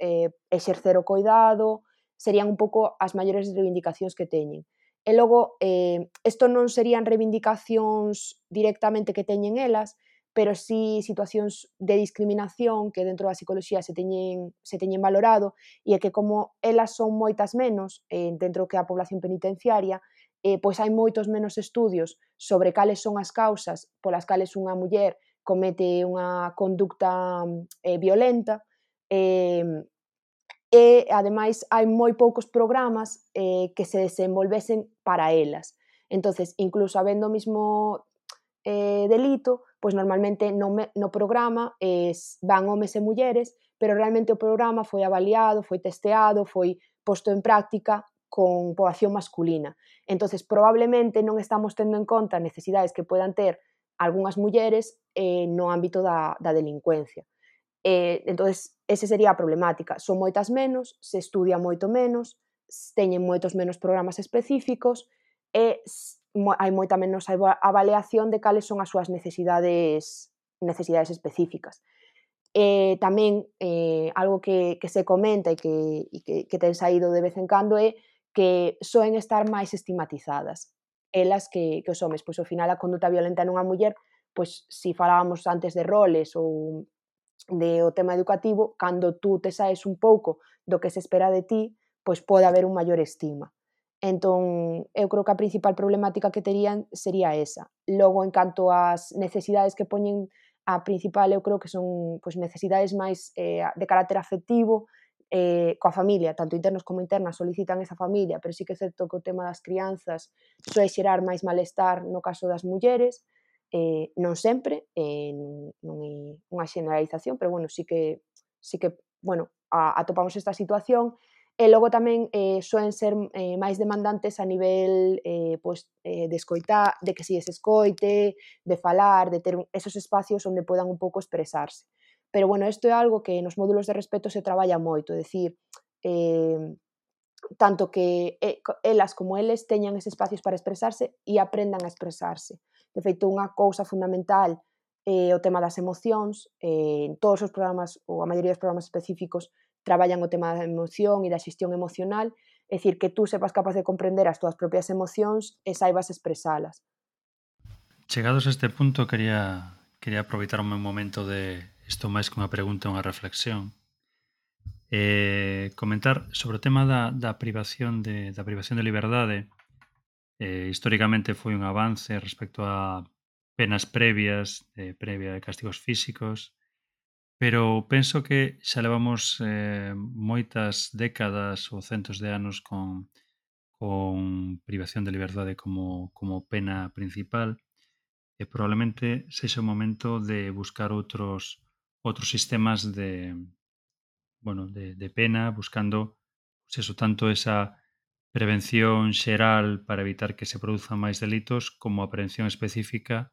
exercer o coidado, serían un pouco as maiores reivindicacións que teñen. E logo, isto non serían reivindicacións directamente que teñen elas, pero sí situacións de discriminación que dentro da psicoloxía se teñen valorado, e é que como elas son moitas menos dentro que a población penitenciaria, pois hai moitos menos estudios sobre cales son as causas polas cales unha muller comete unha conducta violenta, e ademais hai moi poucos programas que se desenvolvesen para elas. Entonces, incluso habendo o mismo delito, pois normalmente no programa van homes e mulleres, pero realmente o programa foi avaliado, foi testeado, foi posto en práctica con poboación masculina. Entonces, probablemente non estamos tendo en conta necesidades que poidan ter algunhas mulleres no ámbito da delincuencia. Entonces, ese sería a problemática. Son moitas menos, se estudia moito menos, teñen moitos menos programas específicos e hai moita menos avaliación de cales son as súas necesidades específicas. Tamén algo que se comenta e que ten saído de vez en cando é que soen estar máis estigmatizadas elas que os homes. Pois ao final a conduta violenta nunha muller, pois si falábamos antes de roles ou de o tema educativo, cando tú te saes un pouco do que se espera de ti, pois pode haber un maior estigma. Entón, eu creo que a principal problemática que terían sería esa. Logo, en canto ás necesidades que poñen, a principal eu creo que son pois, necesidades máis de carácter afectivo, coa familia, tanto internos como internas solicitan esa familia, pero sí que é certo que o tema das crianzas soe xerar máis malestar no caso das mulleres, non sempre, non é unha xeneralización, pero bueno, sí que bueno, atopamos esta situación. E logo tamén soen ser máis demandantes a nivel pois, de escoitar, de que si se escoite, de falar, de ter esos espacios onde podan un pouco expresarse. Pero bueno, isto é algo que nos módulos de respeto se traballa moito, é dicir, tanto que elas como eles teñan eses espacios para expresarse e aprendan a expresarse. De feito, unha cousa fundamental o tema das emocións. En todos os programas, ou a maioría dos programas específicos, traballan o tema da emoción e da xestión emocional, é dicir, que tú sepas capaz de comprender as túas propias emocións e saibas expresalas. Chegados a este punto, quería aproveitar un momento de isto máis que unha pregunta, unha reflexión. Comentar sobre o tema da privación de liberdade. Históricamente foi un avance respecto a penas previas, previa de castigos físicos, pero penso que xa levamos moitas décadas ou centos de anos con privación de liberdade como pena principal, e probablemente sexa o momento de buscar outros sistemas de pena, buscando pues eso, tanto esa prevención xeral para evitar que se produzan máis delitos, como a prevención específica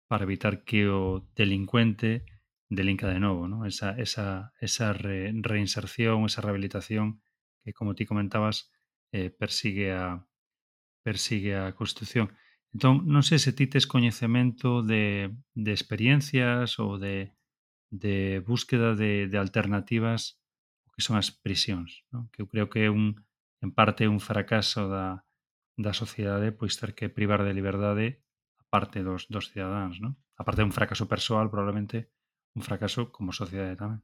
para evitar que o delincuente delinca de novo, ¿no? Esa reinserción, esa rehabilitación que, como ti comentabas, persigue a Constitución. Entón, non sei se ti tes coñecemento de experiencias ou de búsqueda de alternativas o que son as prisións, non? Que eu creo que é en parte un fracaso da sociedade, pois ter que privar de liberdade a parte dos cidadáns, non? A parte de un fracaso persoal, probablemente un fracaso como sociedade tamén.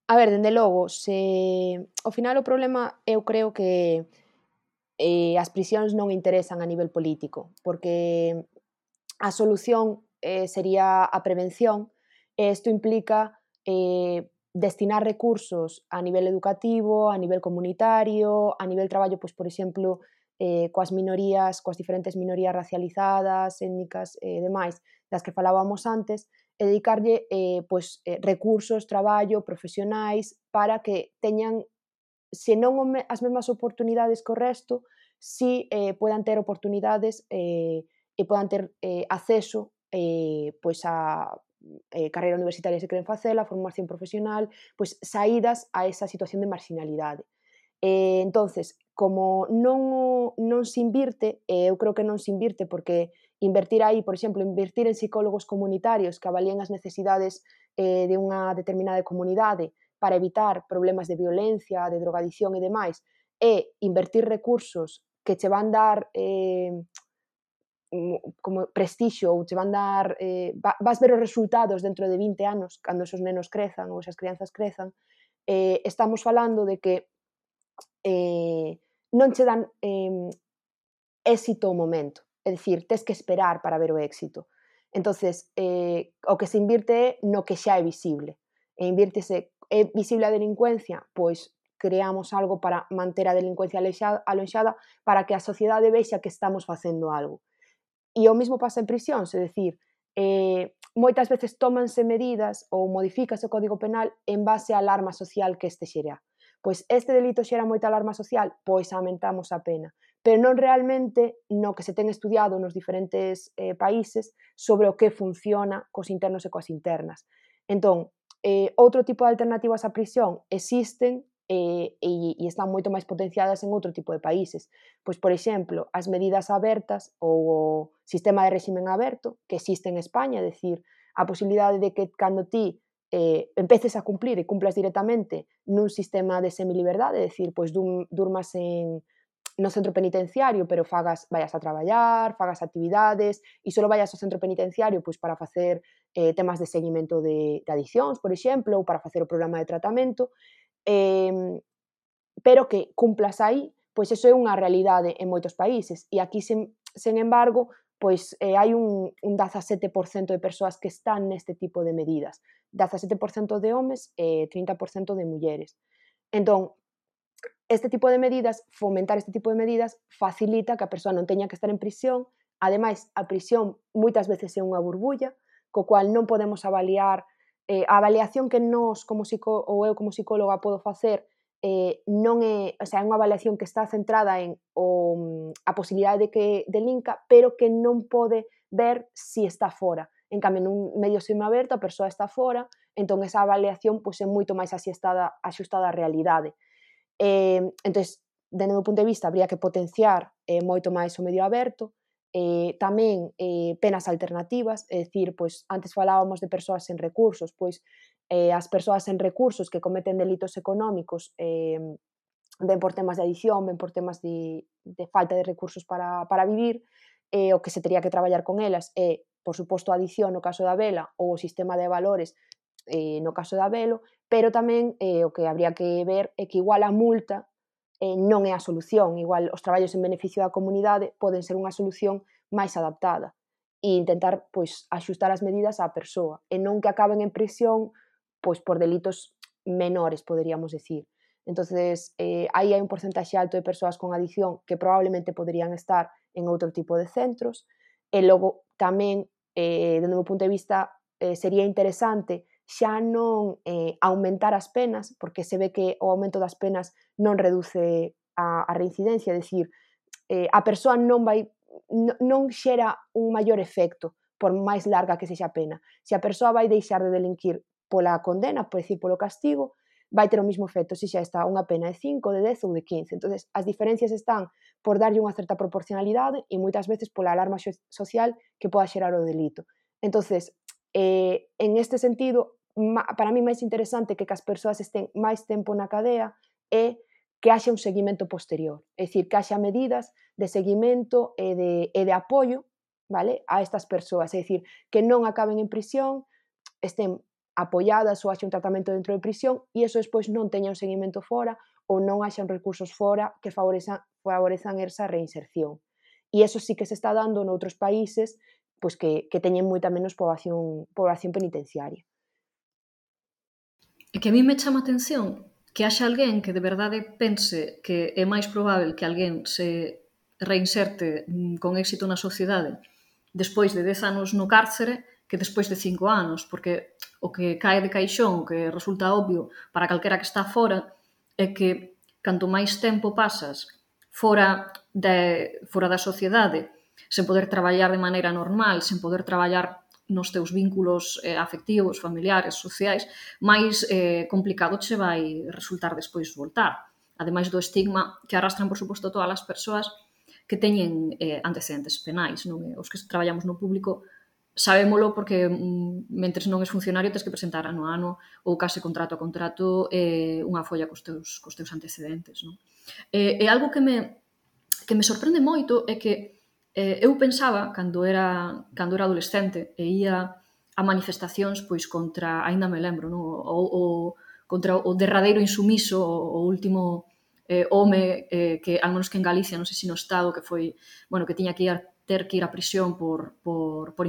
A ver, dende logo, ao final o problema eu creo que as prisións non interesan a nivel político, porque a solución sería a prevención, e isto implica destinar recursos a nivel educativo, a nivel comunitario, a nivel traballo, pois, por exemplo, coas minorías, coas diferentes minorías racializadas, étnicas e demais, das que falábamos antes, e dedicarlle recursos, traballo, profesionais, para que teñan, se non as mesmas oportunidades que o resto, si podan ter oportunidades e podan ter acceso pois a carreira universitaria se queren facela, formación profesional, pois saídas a esa situación de marginalidade. Entonces, como non se invirte, eu creo que non se invirte porque invertir aí, por exemplo, invertir en psicólogos comunitarios que avalíen as necesidades de unha determinada comunidade para evitar problemas de violencia, de drogadicción e demais, e invertir recursos que che van dar como prestixio ou che van dar vas ver os resultados dentro de 20 anos cando esos nenos crezan ou esas crianzas crezan, estamos falando de que non che dan éxito ao momento, é dicir, tes que esperar para ver o éxito. Entonces, o que se invirte é no que xa é visible, e invírtese, é visible a delincuencia, pois creamos algo para manter a delincuencia aloixada para que a sociedade vexa que estamos facendo algo. E o mesmo pasa en prisións, é dicir, moitas veces tómanse medidas ou modifícase o Código Penal en base á alarma social que este xera. Pois este delito xera moita alarma social, pois aumentamos a pena. Pero non realmente no que se ten estudiado nos diferentes países sobre o que funciona cos internos e coas internas. Entón, outro tipo de alternativas á prisión existen e están moito máis potenciadas en outro tipo de países. Pois, por exemplo, as medidas abertas ou o sistema de réximen aberto que existe en España, é dicir, a posibilidade de que cando ti empeces a cumplir e cumplas directamente nun sistema de semiliberdade, é dicir, pois durmas no centro penitenciario, pero vayas a traballar, fagas actividades e só vayas ao centro penitenciario pois para facer temas de seguimento de adiccións, por exemplo, ou para facer o programa de tratamento, pero que cumplas aí, pois eso é unha realidade en moitos países. E aquí, sen embargo, pois hai un 17% de persoas que están neste tipo de medidas. 17% de homes e 30% de mulleres. Entón, fomentar este tipo de medidas, facilita que a persoa non teña que estar en prisión. Ademais, a prisión moitas veces é unha burbulla, co cual non podemos avaliar a avaliación que nós, ou eu como psicóloga, podo facer non é, o sea, é unha avaliación que está centrada en a posibilidade de que delinca, pero que non pode ver si está fora. En cambio, nun medio semiaberto, a persoa está fora, entón esa avaliación pois, é moito máis axustada á realidade. Entón, dende o meu punto de vista, habría que potenciar moito máis o medio aberto, tamén penas alternativas, é dicir, pois, antes falábamos de persoas sen recursos, pois as persoas sen recursos que cometen delitos económicos ven por temas de adicción, ven por temas de falta de recursos para vivir, o que se tería que traballar con elas é, por suposto, a adicción no caso da vela ou o sistema de valores no caso da velo, pero tamén o que habría que ver é que igual a multa non é a solución, igual os traballos en beneficio da comunidade poden ser unha solución máis adaptada e intentar pois axustar as medidas á persoa e non que acaben en prisión pois por delitos menores, poderíamos decir. Entonces, aí hai un porcentaxe alto de persoas con adicción que probablemente poderían estar en outro tipo de centros e logo tamén, dende o meu punto de vista, sería interesante xa non aumentar as penas, porque se ve que o aumento das penas non reduce a reincidencia, é dicir, a persoa non xera un maior efecto por máis larga que sexa a pena. Se a persoa vai deixar de delinquir pola condena, por decir, polo castigo, vai ter o mismo efecto se xa está unha pena de 5, de 10 ou de 15. Entonces, as diferencias están por darlle unha certa proporcionalidade e moitas veces pola alarma social que poda xerar o delito. Entonces, en este sentido, para mí máis interesante que as persoas estén máis tempo na cadea é que haxa un seguimento posterior, é dicir, que haxa medidas de seguimento e de apoio, vale, a estas persoas, é dicir, que non acaben en prisión, estén apoiadas ou haxa un tratamento dentro de prisión e iso despois non teña un seguimento fora ou non haxa recursos fora que favorezan esa reinserción. E iso sí que se está dando noutros países pois que teñen moita menos población penitenciaria. E que a mí me chama a atención que haxa alguén que de verdade pense que é máis probável que alguén se reinserte con éxito na sociedade despois de 10 anos no cárcere que despois de 5 anos, porque o que cae de caixón, o que resulta obvio para calquera que está fora, é que canto máis tempo pasas fora da sociedade, sen poder traballar de maneira normal, sen poder traballar nos teus vínculos afectivos, familiares, sociais, máis complicado che vai resultar despois voltar. Ademais do estigma que arrastran, por suposto, todas as persoas que teñen antecedentes penais. Non? Os que traballamos no público sabémolo porque mentres non és funcionario tens que presentar ano a ano ou case contrato a contrato unha folla cos teus antecedentes. Non? E algo que me sorprende moito é que eu pensaba, cando era adolescente, e ia a manifestacións pois contra, aínda me lembro, non? Contra o derradeiro insumiso, o último home que, al menos que en Galicia, non sei se no Estado, que foi, bueno, que tiña que ter que ir a prisión por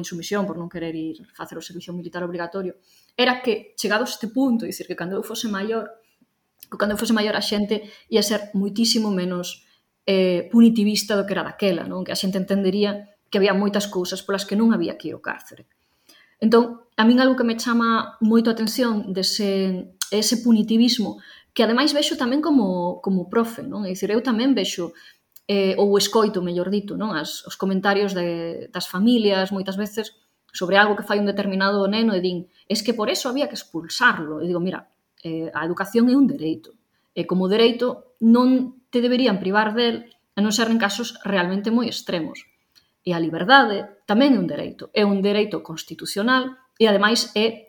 insumisión, por non querer ir facer o servicio militar obrigatorio, era que, chegados a este punto, dicir que cando eu fose maior a xente ia ser moitísimo menos punitivista do que era daquela, non? Que a xente entendería que había moitas cousas polas que non había que ir ao cárcere. Entón, a min algo que me chama moito a atención ese punitivismo, que ademais vexo tamén como profe, non? É dicir, eu tamén vexo ou escoito, mellor dito, non? Os comentarios das familias, moitas veces, sobre algo que fai un determinado neno e din, es que por eso había que expulsarlo. E digo, mira, a educación é un dereito. E como dereito non te deberían privar del a non ser en casos realmente moi extremos. E a liberdade tamén é un dereito constitucional e ademais é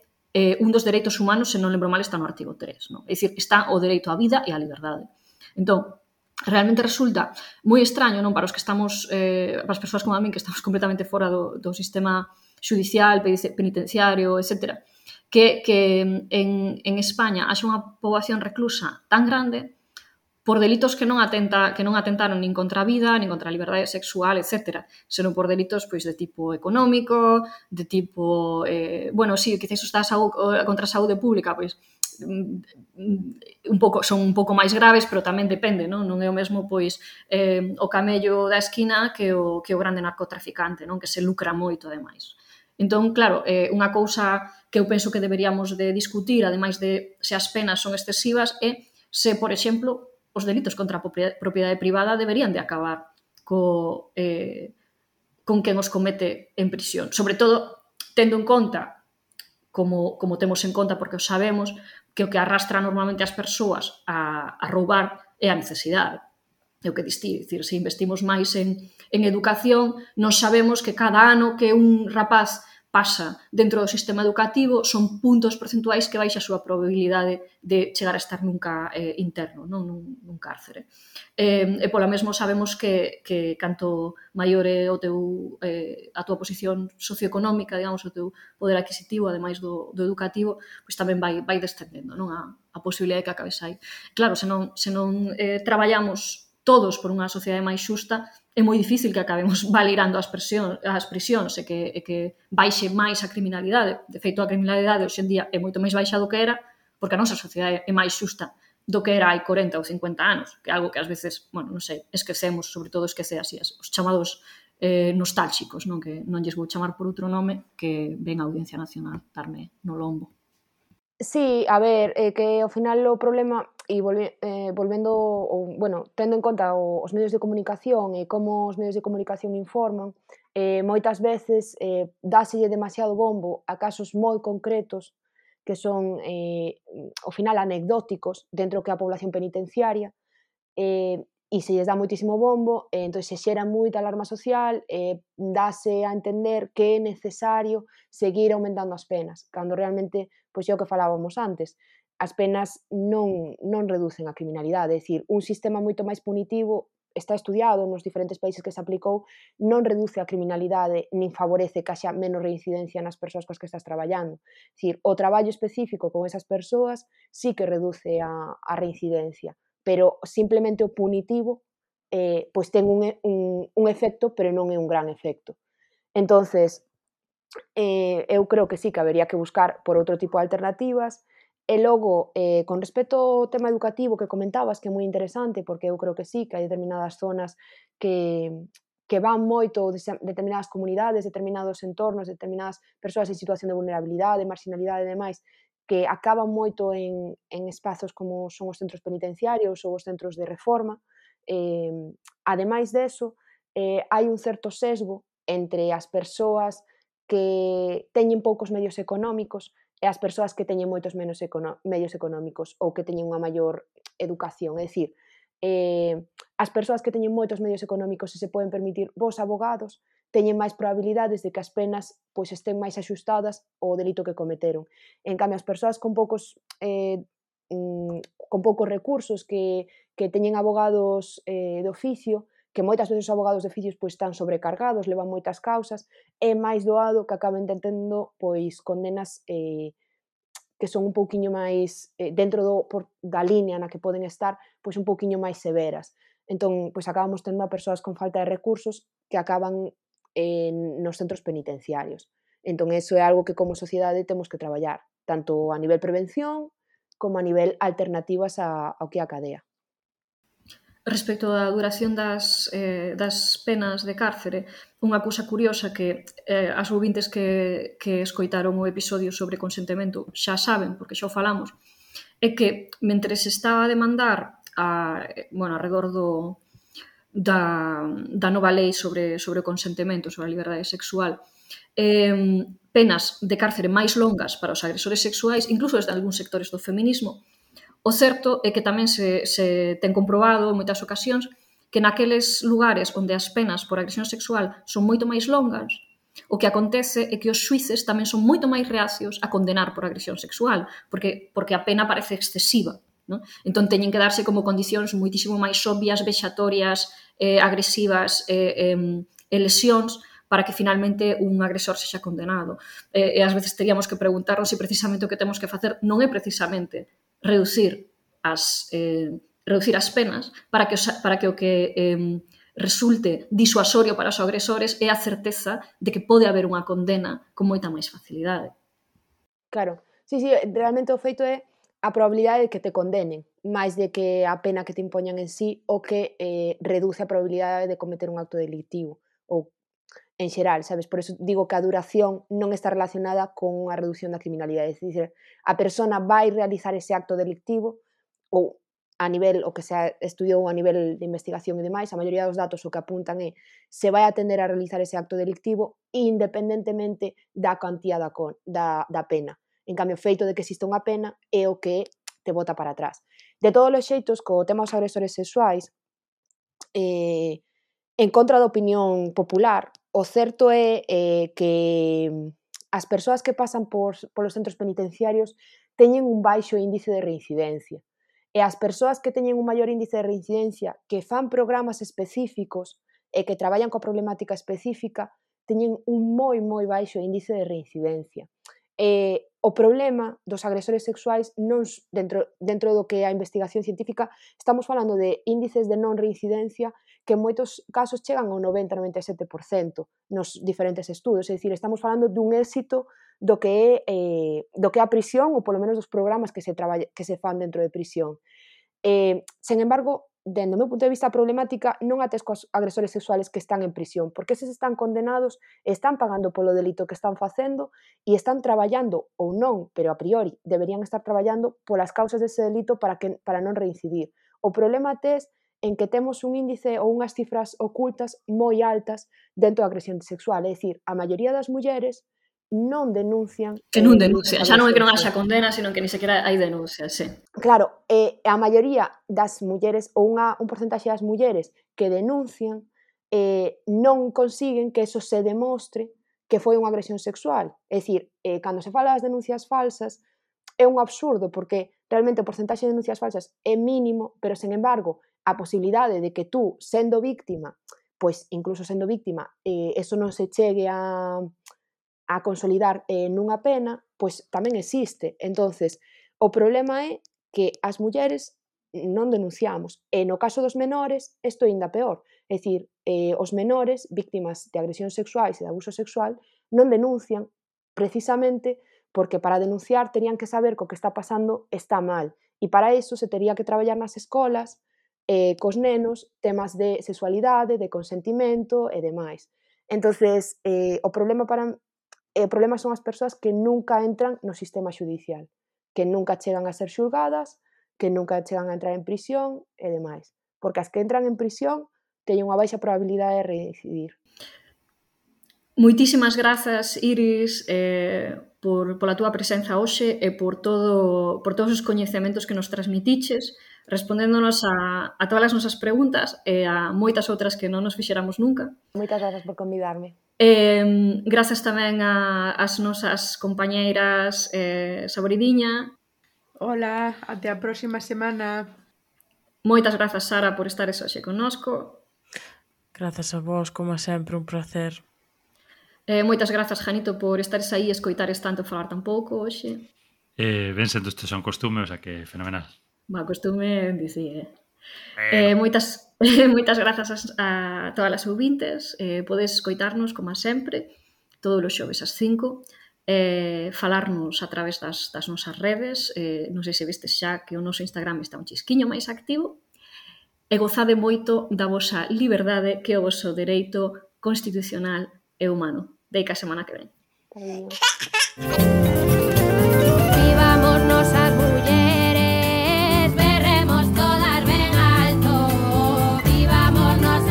un dos dereitos humanos, se non lembro mal, está no artigo 3. Non? É dicir, está o dereito á vida e á liberdade. Entón, realmente resulta moi extraño, non, para os que estamos, para as persoas como a min que estamos completamente fora do sistema judicial, penitenciario, etc., que en España haxa unha poboación reclusa tan grande por delitos que non atentaron nin contra a vida, nin contra a liberdade sexual, etc., senón por delitos pois de tipo económico, de tipo, quizás os da contra a saúde pública, pois son un pouco máis graves, pero tamén depende, non é o mesmo pois o camello da esquina que o grande narcotraficante, non, que se lucra moito ademais. Entón, claro, unha cousa que eu penso que deberíamos de discutir, ademais de se as penas son excesivas, é se, por exemplo, os delitos contra a propiedade privada deberían de acabar con quen os comete en prisión. Sobre todo, tendo en conta, como temos en conta, porque o sabemos, que o que arrastra normalmente as persoas a roubar é a necesidade. É o que distí, dicir, se investimos máis en educación, nós sabemos que cada ano que un rapaz pasa dentro do sistema educativo son puntos percentuais que baixa a súa probabilidade de chegar a estar nunca interno, non nun cárcere. E pola mesmo sabemos que canto maior é a túa posición socioeconómica, digamos, o teu poder adquisitivo, ademais do educativo, pois tamén vai descendendo, non, a posibilidade de que acabes aí. Claro, se non traballamos todos por unha sociedade máis xusta, é moi difícil que acabemos baleirando as prisións e que baixe máis a criminalidade. De feito, a criminalidade hoxe en día é moito máis baixa do que era, porque a nosa sociedade é máis xusta do que era hai 40 ou 50 anos, que é algo que ás veces, non sei, esquecemos, sobre todo esquecer así, os chamados nostálxicos, non, que non lles vou chamar por outro nome, que ven a Audiencia Nacional darme no lombo. Sí, a ver, que ao final o problema, e tendo en conta os medios de comunicación e como os medios de comunicación informan, moitas veces dáselle demasiado bombo a casos moi concretos que son, ao final, anecdóticos dentro que a población penitenciaria, e se lles dá moitísimo bombo, entón se xera moita alarma social, dáse a entender que é necesario seguir aumentando as penas, cando realmente, pois é o que falábamos antes, as penas non reducen a criminalidade, é dicir, un sistema moito máis punitivo está estudiado nos diferentes países que se aplicou, non reduce a criminalidade nin favorece que haxa menos reincidencia nas persoas coas que estás traballando. É dicir, o traballo específico con esas persoas sí que reduce a reincidencia, pero simplemente o punitivo pois ten un efecto, pero non é un gran efecto. Entonces, eu creo que sí que habería que buscar por outro tipo de alternativas. E logo, con respecto ao tema educativo que comentabas, que é moi interesante, porque eu creo que sí, que hai determinadas zonas que van moito, determinadas comunidades, determinados entornos, determinadas persoas en situación de vulnerabilidade, marginalidade e demais, que acaban moito en espazos como son os centros penitenciarios ou os centros de reforma. Ademais deso, hai un certo sesgo entre as persoas que teñen poucos medios económicos e as persoas que teñen moitos menos medios económicos ou que teñen unha maior educación. É dicir, as persoas que teñen moitos medios económicos e se poden permitir bons abogados teñen máis probabilidades de que as penas pois estén máis axustadas ao delito que cometeron. En cambio, as persoas con poucos recursos que teñen abogados de oficio, que moitas veces os abogados de oficios pois están sobrecargados, levan moitas causas, é máis doado que acaben tendo pois condenas que son un pouquiño máis dentro da línea na que poden estar, pois un pouquiño máis severas. Entón, pois acabamos tendo a persoas con falta de recursos que acaban nos centros penitenciarios. Entón, eso é algo que como sociedade temos que traballar, tanto a nivel prevención como a nivel alternativas ao que é a cadea. Respecto á duración das penas de cárcere, unha cousa curiosa que as ouvintes que escoitaron o episodio sobre consentimento xa saben, porque xa o falamos, é que mentre se está a demandar alrededor da nova lei sobre o consentimento, sobre a liberdade sexual, penas de cárcere máis longas para os agresores sexuais, incluso desde algúns sectores do feminismo. O certo é que tamén se ten comprobado en moitas ocasións que naqueles lugares onde as penas por agresión sexual son moito máis longas, o que acontece é que os xuíces tamén son moito máis reacios a condenar por agresión sexual, porque a pena parece excesiva. ¿No? Entón, teñen que darse como condicións moitísimo máis obvias, vexatorias, agresivas e lesións para que finalmente un agresor sexa condenado. E ás veces teríamos que preguntarnos se precisamente o que temos que facer non é precisamente reducir as penas para que o que resulte disuasorio para os agresores é a certeza de que pode haber unha condena con moita máis facilidade. Claro, sí, realmente o feito é a probabilidade de que te condenen, máis de que a pena que te impoñan en sí o que reduce a probabilidade de cometer un acto delictivo, ou en xeral, sabes? Por eso digo que a duración non está relacionada con unha reducción da criminalidade, é dicir, a persona vai realizar ese acto delictivo ou a nivel, o que se estudiou a nivel de investigación e demais, a maioría dos datos o que apuntan é se vai atender a realizar ese acto delictivo independentemente da cuantía da pena. En cambio, o feito de que exista unha pena é o que te bota para atrás. De todos os xeitos, co tema dos agresores sexuais, en contra da opinión popular, o certo é que as persoas que pasan polos centros penitenciarios teñen un baixo índice de reincidencia. E as persoas que teñen un maior índice de reincidencia, que fan programas específicos e que traballan coa problemática específica, teñen un moi baixo índice de reincidencia. O problema dos agresores sexuais non dentro do que é a investigación científica, estamos falando de índices de non reincidencia que en moitos casos chegan ao 90-97% nos diferentes estudos, é dicir, estamos falando dun éxito do que é a prisión ou polo menos dos programas que se fan dentro de prisión. Sen embargo, dende o meu punto de vista, a problemática non ates cos agresores sexuales que están en prisión, porque eses están condenados, están pagando polo delito que están facendo e están traballando, ou non, pero a priori deberían estar traballando polas causas dese delito para non reincidir. O problema tes en que temos un índice ou unhas cifras ocultas moi altas dentro da agresión sexual, é dicir, a maioría das mulleres non denuncian... Que non denuncian, xa non é que non haxa condena, sino que ni sequera hai denuncias, sí. Claro, a maioría das mulleres, ou un porcentaxe das mulleres que denuncian, non consiguen que eso se demostre que foi unha agresión sexual. É dicir, cando se fala das denuncias falsas, é un absurdo, porque realmente o porcentaxe de denuncias falsas é mínimo, pero, sen embargo, a posibilidade de que tú, sendo víctima, pois, incluso sendo víctima, eso non se chegue a consolidar nunha pena, pois tamén existe. Entonces, o problema é que as mulleres non denunciamos. E no caso dos menores, isto é ainda peor. É dicir, os menores, víctimas de agresión sexuais e de abuso sexual, non denuncian precisamente porque para denunciar terían que saber que o que está pasando está mal. E para iso se tería que traballar nas escolas, cos nenos, temas de sexualidade, de consentimento e demais. Entonces, o problema son as persoas que nunca entran no sistema xudicial, que nunca chegan a ser xulgadas, que nunca chegan a entrar en prisión e demais. Porque as que entran en prisión teñen unha baixa probabilidade de reincidir. Moitísimas grazas, Iris, pola túa presenza hoxe e por todos os coñecementos que nos transmitiches, respondéndonos a todas as nosas preguntas e a moitas outras que non nos fixéramos nunca. Moitas grazas por convidarme. Grazas tamén ás nosas compañeiras Saboridiña. Hola, até a próxima semana. Moitas grazas, Sara, por estares hoxe connosco. Grazas a vos, como sempre, un placer. Moitas grazas, Janito, por estares aí e escoitares tanto falar tan pouco hoxe. Ben sendo isto son costume, o sea que fenomenal. Costume, dicir, moitas grazas a todas as ouvintes. Podes escoitarnos, como sempre, todos os xoves ás 5, falarnos a través das nosas redes. Non sei se vistes xa que o noso Instagram está un chisquiño máis activo. E gozade moito da vosa liberdade, que é o voso dereito constitucional e humano. Deica a semana que ven. Vivámonos as mulleres, berremos todas ben alto. Vivámonos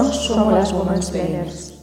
Nós somos as Womansplainers.